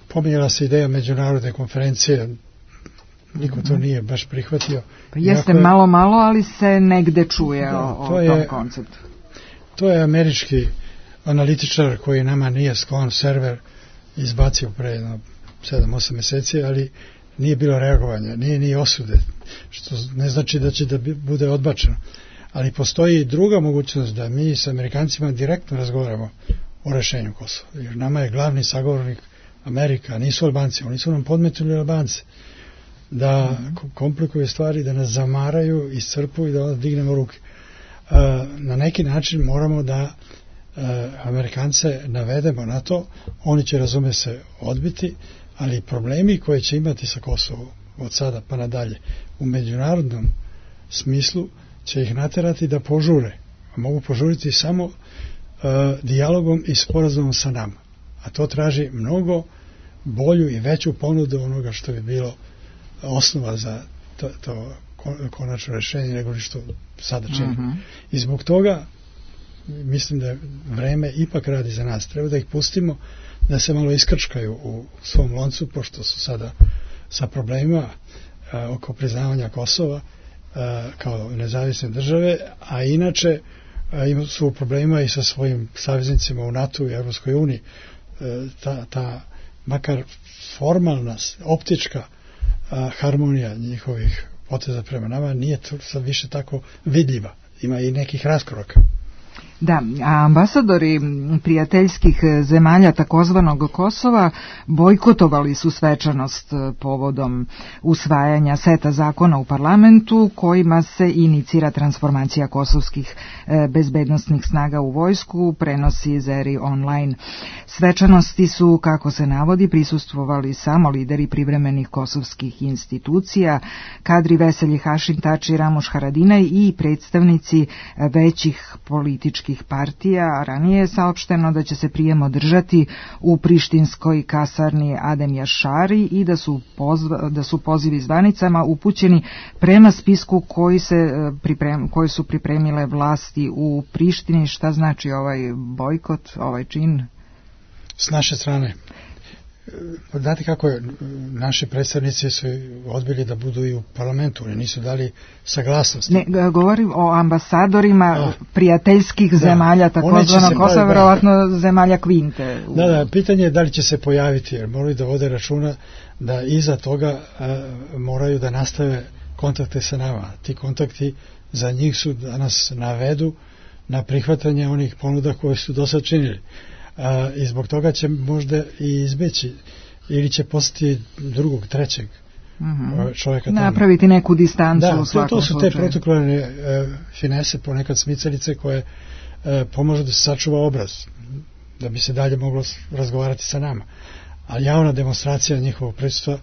pominjala se ideja međunarodne konferencije, niko to nije baš prihvatio. Pa jeste je, malo malo, ali se negde čuje da, o, o je, tom konceptu. To je američki analitičar koji nama nije sklon, server izbacio pre sedam osam meseci, ali nije bilo reagovanja, nije ni osude, što ne znači da će da bude odbačeno. Ali postoji druga mogućnost da mi s Amerikancima direktno razgovaramo o rešenju Kosova. Jer nama je glavni sagovornik Amerika, nisu Albanci, oni su nam podmetili Albance. Da mm-hmm. komplikuju stvari, da nas zamaraju, iscrpuju i da onda dignemo ruke. E, na neki način moramo da e, Amerikance navedemo na to, oni će, razume se, odbiti, ali problemi koje će imati sa Kosovom od sada pa nadalje u međunarodnom smislu će ih naterati da požure. A mogu požuriti samo uh, dijalogom i sporazumom sa nama. A to traži mnogo bolju i veću ponudu onoga što bi bilo osnova za to, to konačno rešenje nego što sada činimo. Uh-huh. I zbog toga mislim da vreme ipak radi za nas. Treba da ih pustimo da se malo iskrčkaju u svom loncu, pošto su sada sa problemima a, oko priznavanja Kosova a, kao nezavisne države, a inače a, ima su problema i sa svojim saveznicima u NATO i Evropskoj uniji. A, ta, ta makar formalna, optička a, harmonija njihovih poteza prema nama nije sad više tako vidljiva. Ima i nekih raskoraka. Da, a ambasadori prijateljskih zemalja takozvanog Kosova bojkotovali su svečanost povodom usvajanja seta zakona u parlamentu kojima se inicira transformacija kosovskih bezbednostnih snaga u vojsku, prenosi Zeri online. Svečanosti su, kako se navodi, prisustvovali samo lideri privremenih kosovskih institucija, kadri Veselji Hašim Tači, Ramoš Haradinaj i predstavnici većih političkih partija. Ranije je saopšteno da će se prijem održati u prištinskoj kasarni Adem Jašari i da su, pozva, da su pozivi zvanicama upućeni prema spisku koji, se priprem, koji su pripremile vlasti u Prištini. Šta znači ovaj bojkot, ovaj čin? S naše strane. Znate kako je, naši predstavnici su odbili da budu i u parlamentu, oni nisu dali saglasnost. Ne, govorim o ambasadorima A, prijateljskih da, zemalja, takozvano Kosova, verovatno zemalja Kvinte. U... Da, da, pitanje je da li će se pojaviti, jer moraju da vode računa da iza toga a, moraju da nastave kontakte sa nama. Ti kontakti za njih su da nas navedu na prihvatanje onih ponuda koje su do sad činili. A, i zbog toga će možda i izbeći ili će postati drugog, trećeg mm-hmm. čovjeka tamo. Napraviti neku distancu da, u svakom to, to su slučaju. te protokolarne e, finese, ponekad smicalice koje e, pomažu da se sačuva obraz, da bi se dalje moglo razgovarati sa nama. Ali javna demonstracija njihovog prisutstva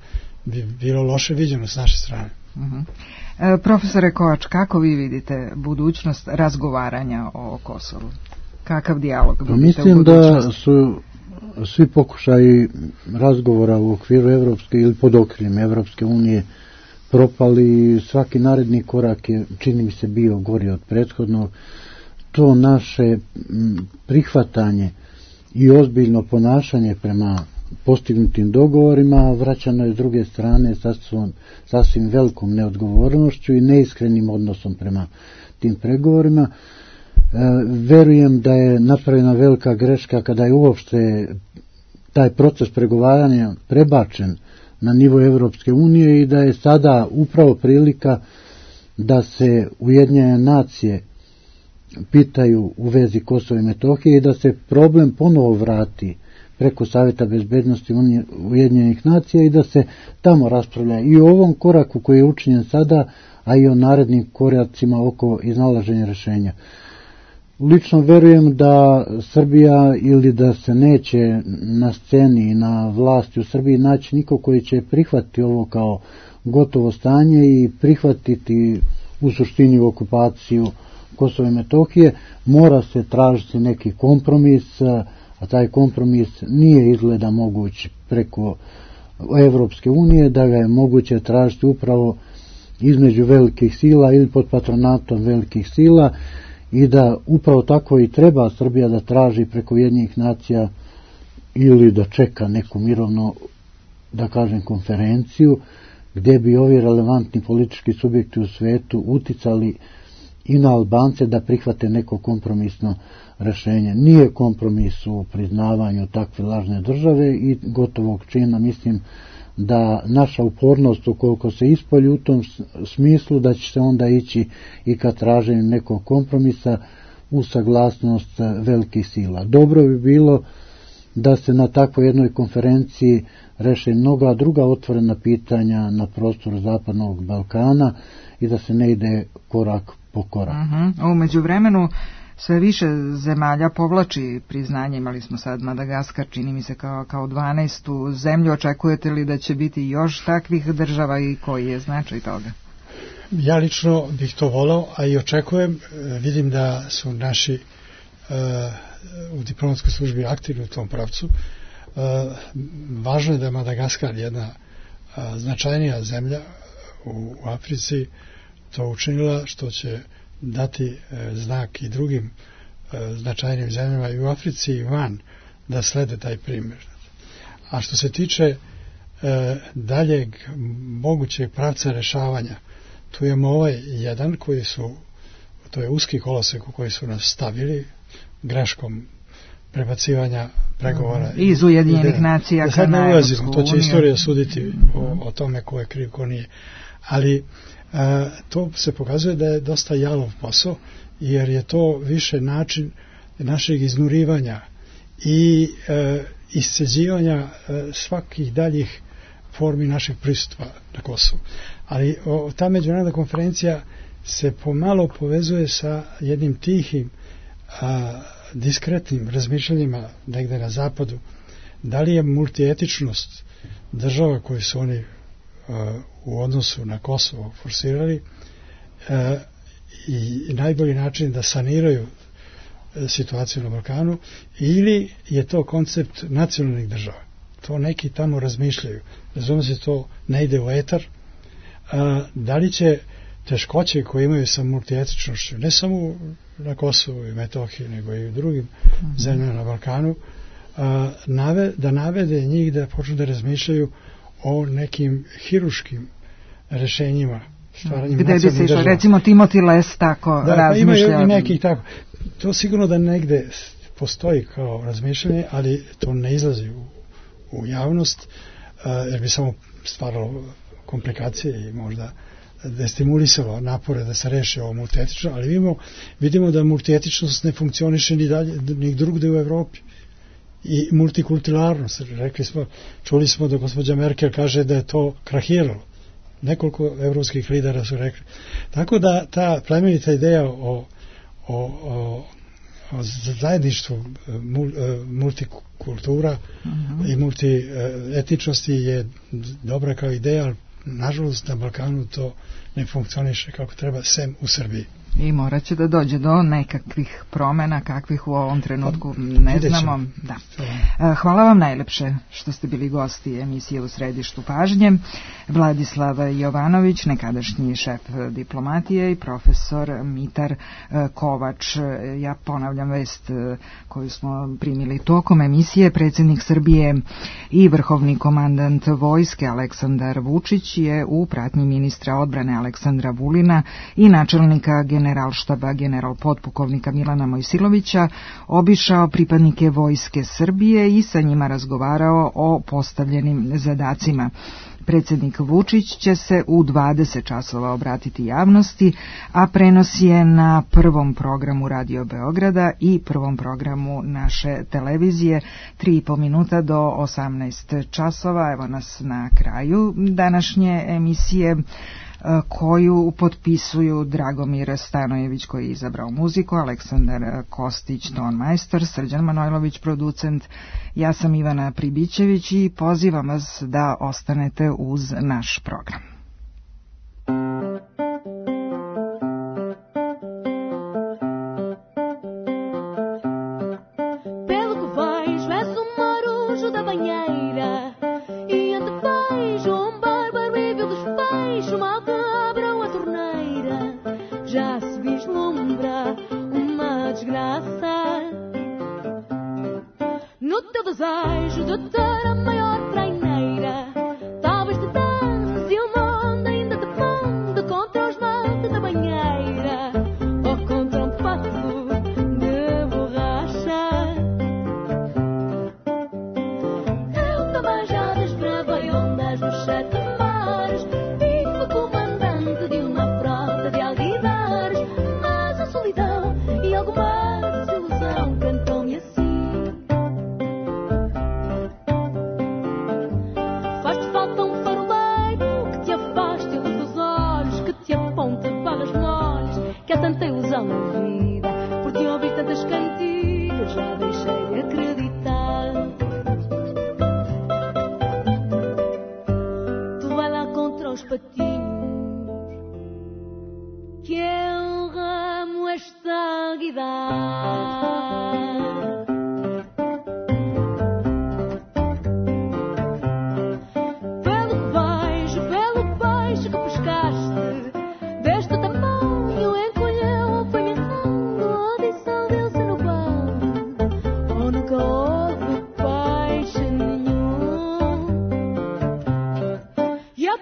bi bilo loše viđeno s naše strane. Mm-hmm. e, profesore Kovač, kako vi vidite budućnost razgovaranja o Kosovu? Kakav dijalog vidite u budućnosti? Mislim da su svi pokušaji razgovora u okviru Evropske ili pod okriljem Evropske unije propali. Svaki naredni korak je, čini mi se, bio gori od prethodnog. To naše prihvatanje i ozbiljno ponašanje prema postignutim dogovorima vraćano je s druge strane sasvim, sasvim velikom neodgovornošću i neiskrenim odnosom prema tim pregovorima. E, verujem da je napravljena velika greška kada je uopšte taj proces pregovaranja prebačen na nivo Evropske unije i da je sada upravo prilika da se Ujedinjene nacije pitaju u vezi Kosova i Metohije i da se problem ponovo vrati preko Savjeta bezbednosti Ujedinjenih nacija i da se tamo raspravlja i o ovom koraku koji je učinjen sada, a i o narednim koracima oko iznalaženja rješenja. Lično verujem da Srbija ili da se neće na sceni i na vlasti u Srbiji naći niko koji će prihvatiti ovo kao gotovo stanje i prihvatiti u suštini okupaciju Kosova i Metohije. Mora se tražiti neki kompromis, a taj kompromis nije izgleda moguć preko Evropske unije, da ga je moguće tražiti upravo između velikih sila ili pod patronatom velikih sila i da upravo tako i treba Srbija da traži preko Ujedinjenih nacija ili da čeka neku mirovnu, da kažem, konferenciju gdje bi ovi relevantni politički subjekti u svetu uticali i na Albance da prihvate neko kompromisno rješenje. Nije kompromis u priznavanju takve lažne države i gotovog čina. Mislim da naša upornost ukoliko se ispolji u tom smislu da će se onda ići i ka traženju nekog kompromisa u saglasnost velikih sila. Dobro bi bilo da se na takvoj jednoj konferenciji reše mnoga druga otvorena pitanja na prostoru Zapadnog Balkana i da se ne ide korak po korak. Uh-huh. U međuvremenu sve više zemalja povlači priznanje. Imali smo sad Madagaskar, čini mi se kao, kao dvanaestu zemlju. Očekujete li da će biti još takvih država i koji je značaj toga? Ja lično bih to volao, a i očekujem. Vidim da su naši uh, u diplomatskoj službi aktivni u tom pravcu. Uh, važno je da je Madagaskar jedna uh, značajnija zemlja u, u Africi to učinila, što će dati e, znak i drugim e, značajnim zemljama i u Africi i van da slede taj primjer. A što se tiče e, daljeg mogućeg pravca rešavanja, tu imamo ovaj jedan koji su, to je uski kolosek u koji su nas stavili greškom prebacivanja pregovora. Mm, iz Ujedinjenih nacija da sad ne ulazimo, to će istorija suditi o, o tome ko je kriv, ko nije. Ali Uh, to se pokazuje da je dosta jalov posao, jer je to više način našeg iznurivanja i e, isceđivanja e, svakih daljih formi našeg prisustva na Kosovu. Ali o, ta međunarodna konferencija se pomalo povezuje sa jednim tihim a, diskretnim razmišljanjima negde na zapadu. Da li je multietičnost država koje su oni a, u odnosu na Kosovo forsirali a, i, i najbolji način da saniraju situaciju na Balkanu, ili je to koncept nacionalnih država. To neki tamo razmišljaju. Razumije se, to ne ide u etar. A, da li će teškoće koje imaju sa multietičnošću, ne samo na Kosovu i Metohiji, nego i u drugim mm-hmm. zemljama na Balkanu, a, nave, da navede njih da počnu da razmišljaju o nekim hiruškim rešenjima, stvaranjem gde bi se išlo, recimo Timothy Les tako da, razmišlja. Pa imaju i nekih tako. To sigurno da negde postoji kao razmišljanje, ali to ne izlazi u, u javnost, a, jer bi samo stvaralo komplikacije i možda destimulisalo napore da se reši ovo multietično, ali vidimo, vidimo da multietičnost ne funkcioniše ni dalje, ni drugde u Evropi. I multikulturalnost, rekli smo, čuli smo da gospođa Merkel kaže da je to krahiralo. Nekoliko evropskih lidera su rekli. Tako da ta plemenita ideja o, o, o, o zajedništvu multikultura uh-huh. i multietičnosti je dobra kao ideja, ali nažalost na Balkanu to ne funkcioniše kako treba, sem u Srbiji. I morat će da dođe do nekakvih promjena, kakvih u ovom trenutku ne znamo. Da. Hvala vam najlepše što ste bili gosti emisije U središtu pažnje. Vladislav Jovanović, nekadašnji šef diplomatije, i profesor Mitar Kovač. Ja ponavljam vest koju smo primili tokom emisije. Predsjednik Srbije i vrhovni komandant vojske Aleksandar Vučić je u pratnji ministra odbrane Aleksandra Vulina i načelnika generalštaba general potpukovnika Milana Mojsilovića obišao pripadnike vojske Srbije i sa njima razgovarao o postavljenim zadacima. Predsjednik Vučić će se u dvadeset časova obratiti javnosti, a prenos je na prvom programu Radio Beograda i prvom programu naše televizije, tri i po minuta do osamnaest časova. Evo nas na kraju današnje emisije, koju potpisuju Dragomir Stanojević, koji je izabrao muziku, Aleksandar Kostić, ton majstor, Srđan Manojlović, producent. Ja sam Ivana Pribićević i pozivam vas da ostanete uz naš program. Desejo de ter a maior traineira, talvez te dança e o mundo ainda te funde contra os matos da banheira ou contra um passo de borracha. Eu também já desbravei ondas nos sete mares e fui comandante de uma frota de alguidares, mas a solidão e alguma desilusão cantou-me assim. Tanta ilusão na vida, por te ouvir tantas cantigas, já deixei de acreditar. Tu vai lá contra os patinhos, que eu ramo esta guidar. Pelo que vejo, pelo peixe que pescaste, deste tamanho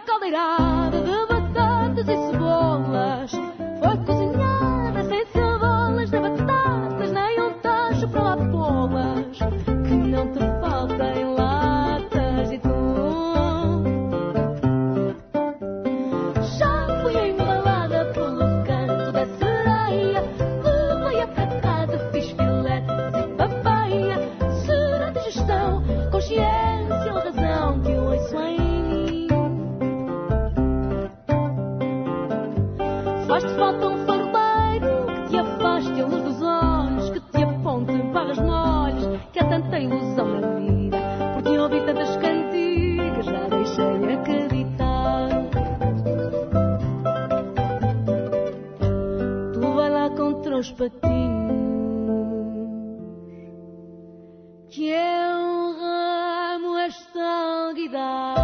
caldeirada de batatas e cebolas foi cozinhada sem cebolas nem batatas, nem um tacho para lá pô-las, que não te faltem latas de atum. Já fui embalada pelo canto da sereia, levei-a para casa, fiz filete meus patinhos, que eu ramo esta guitarra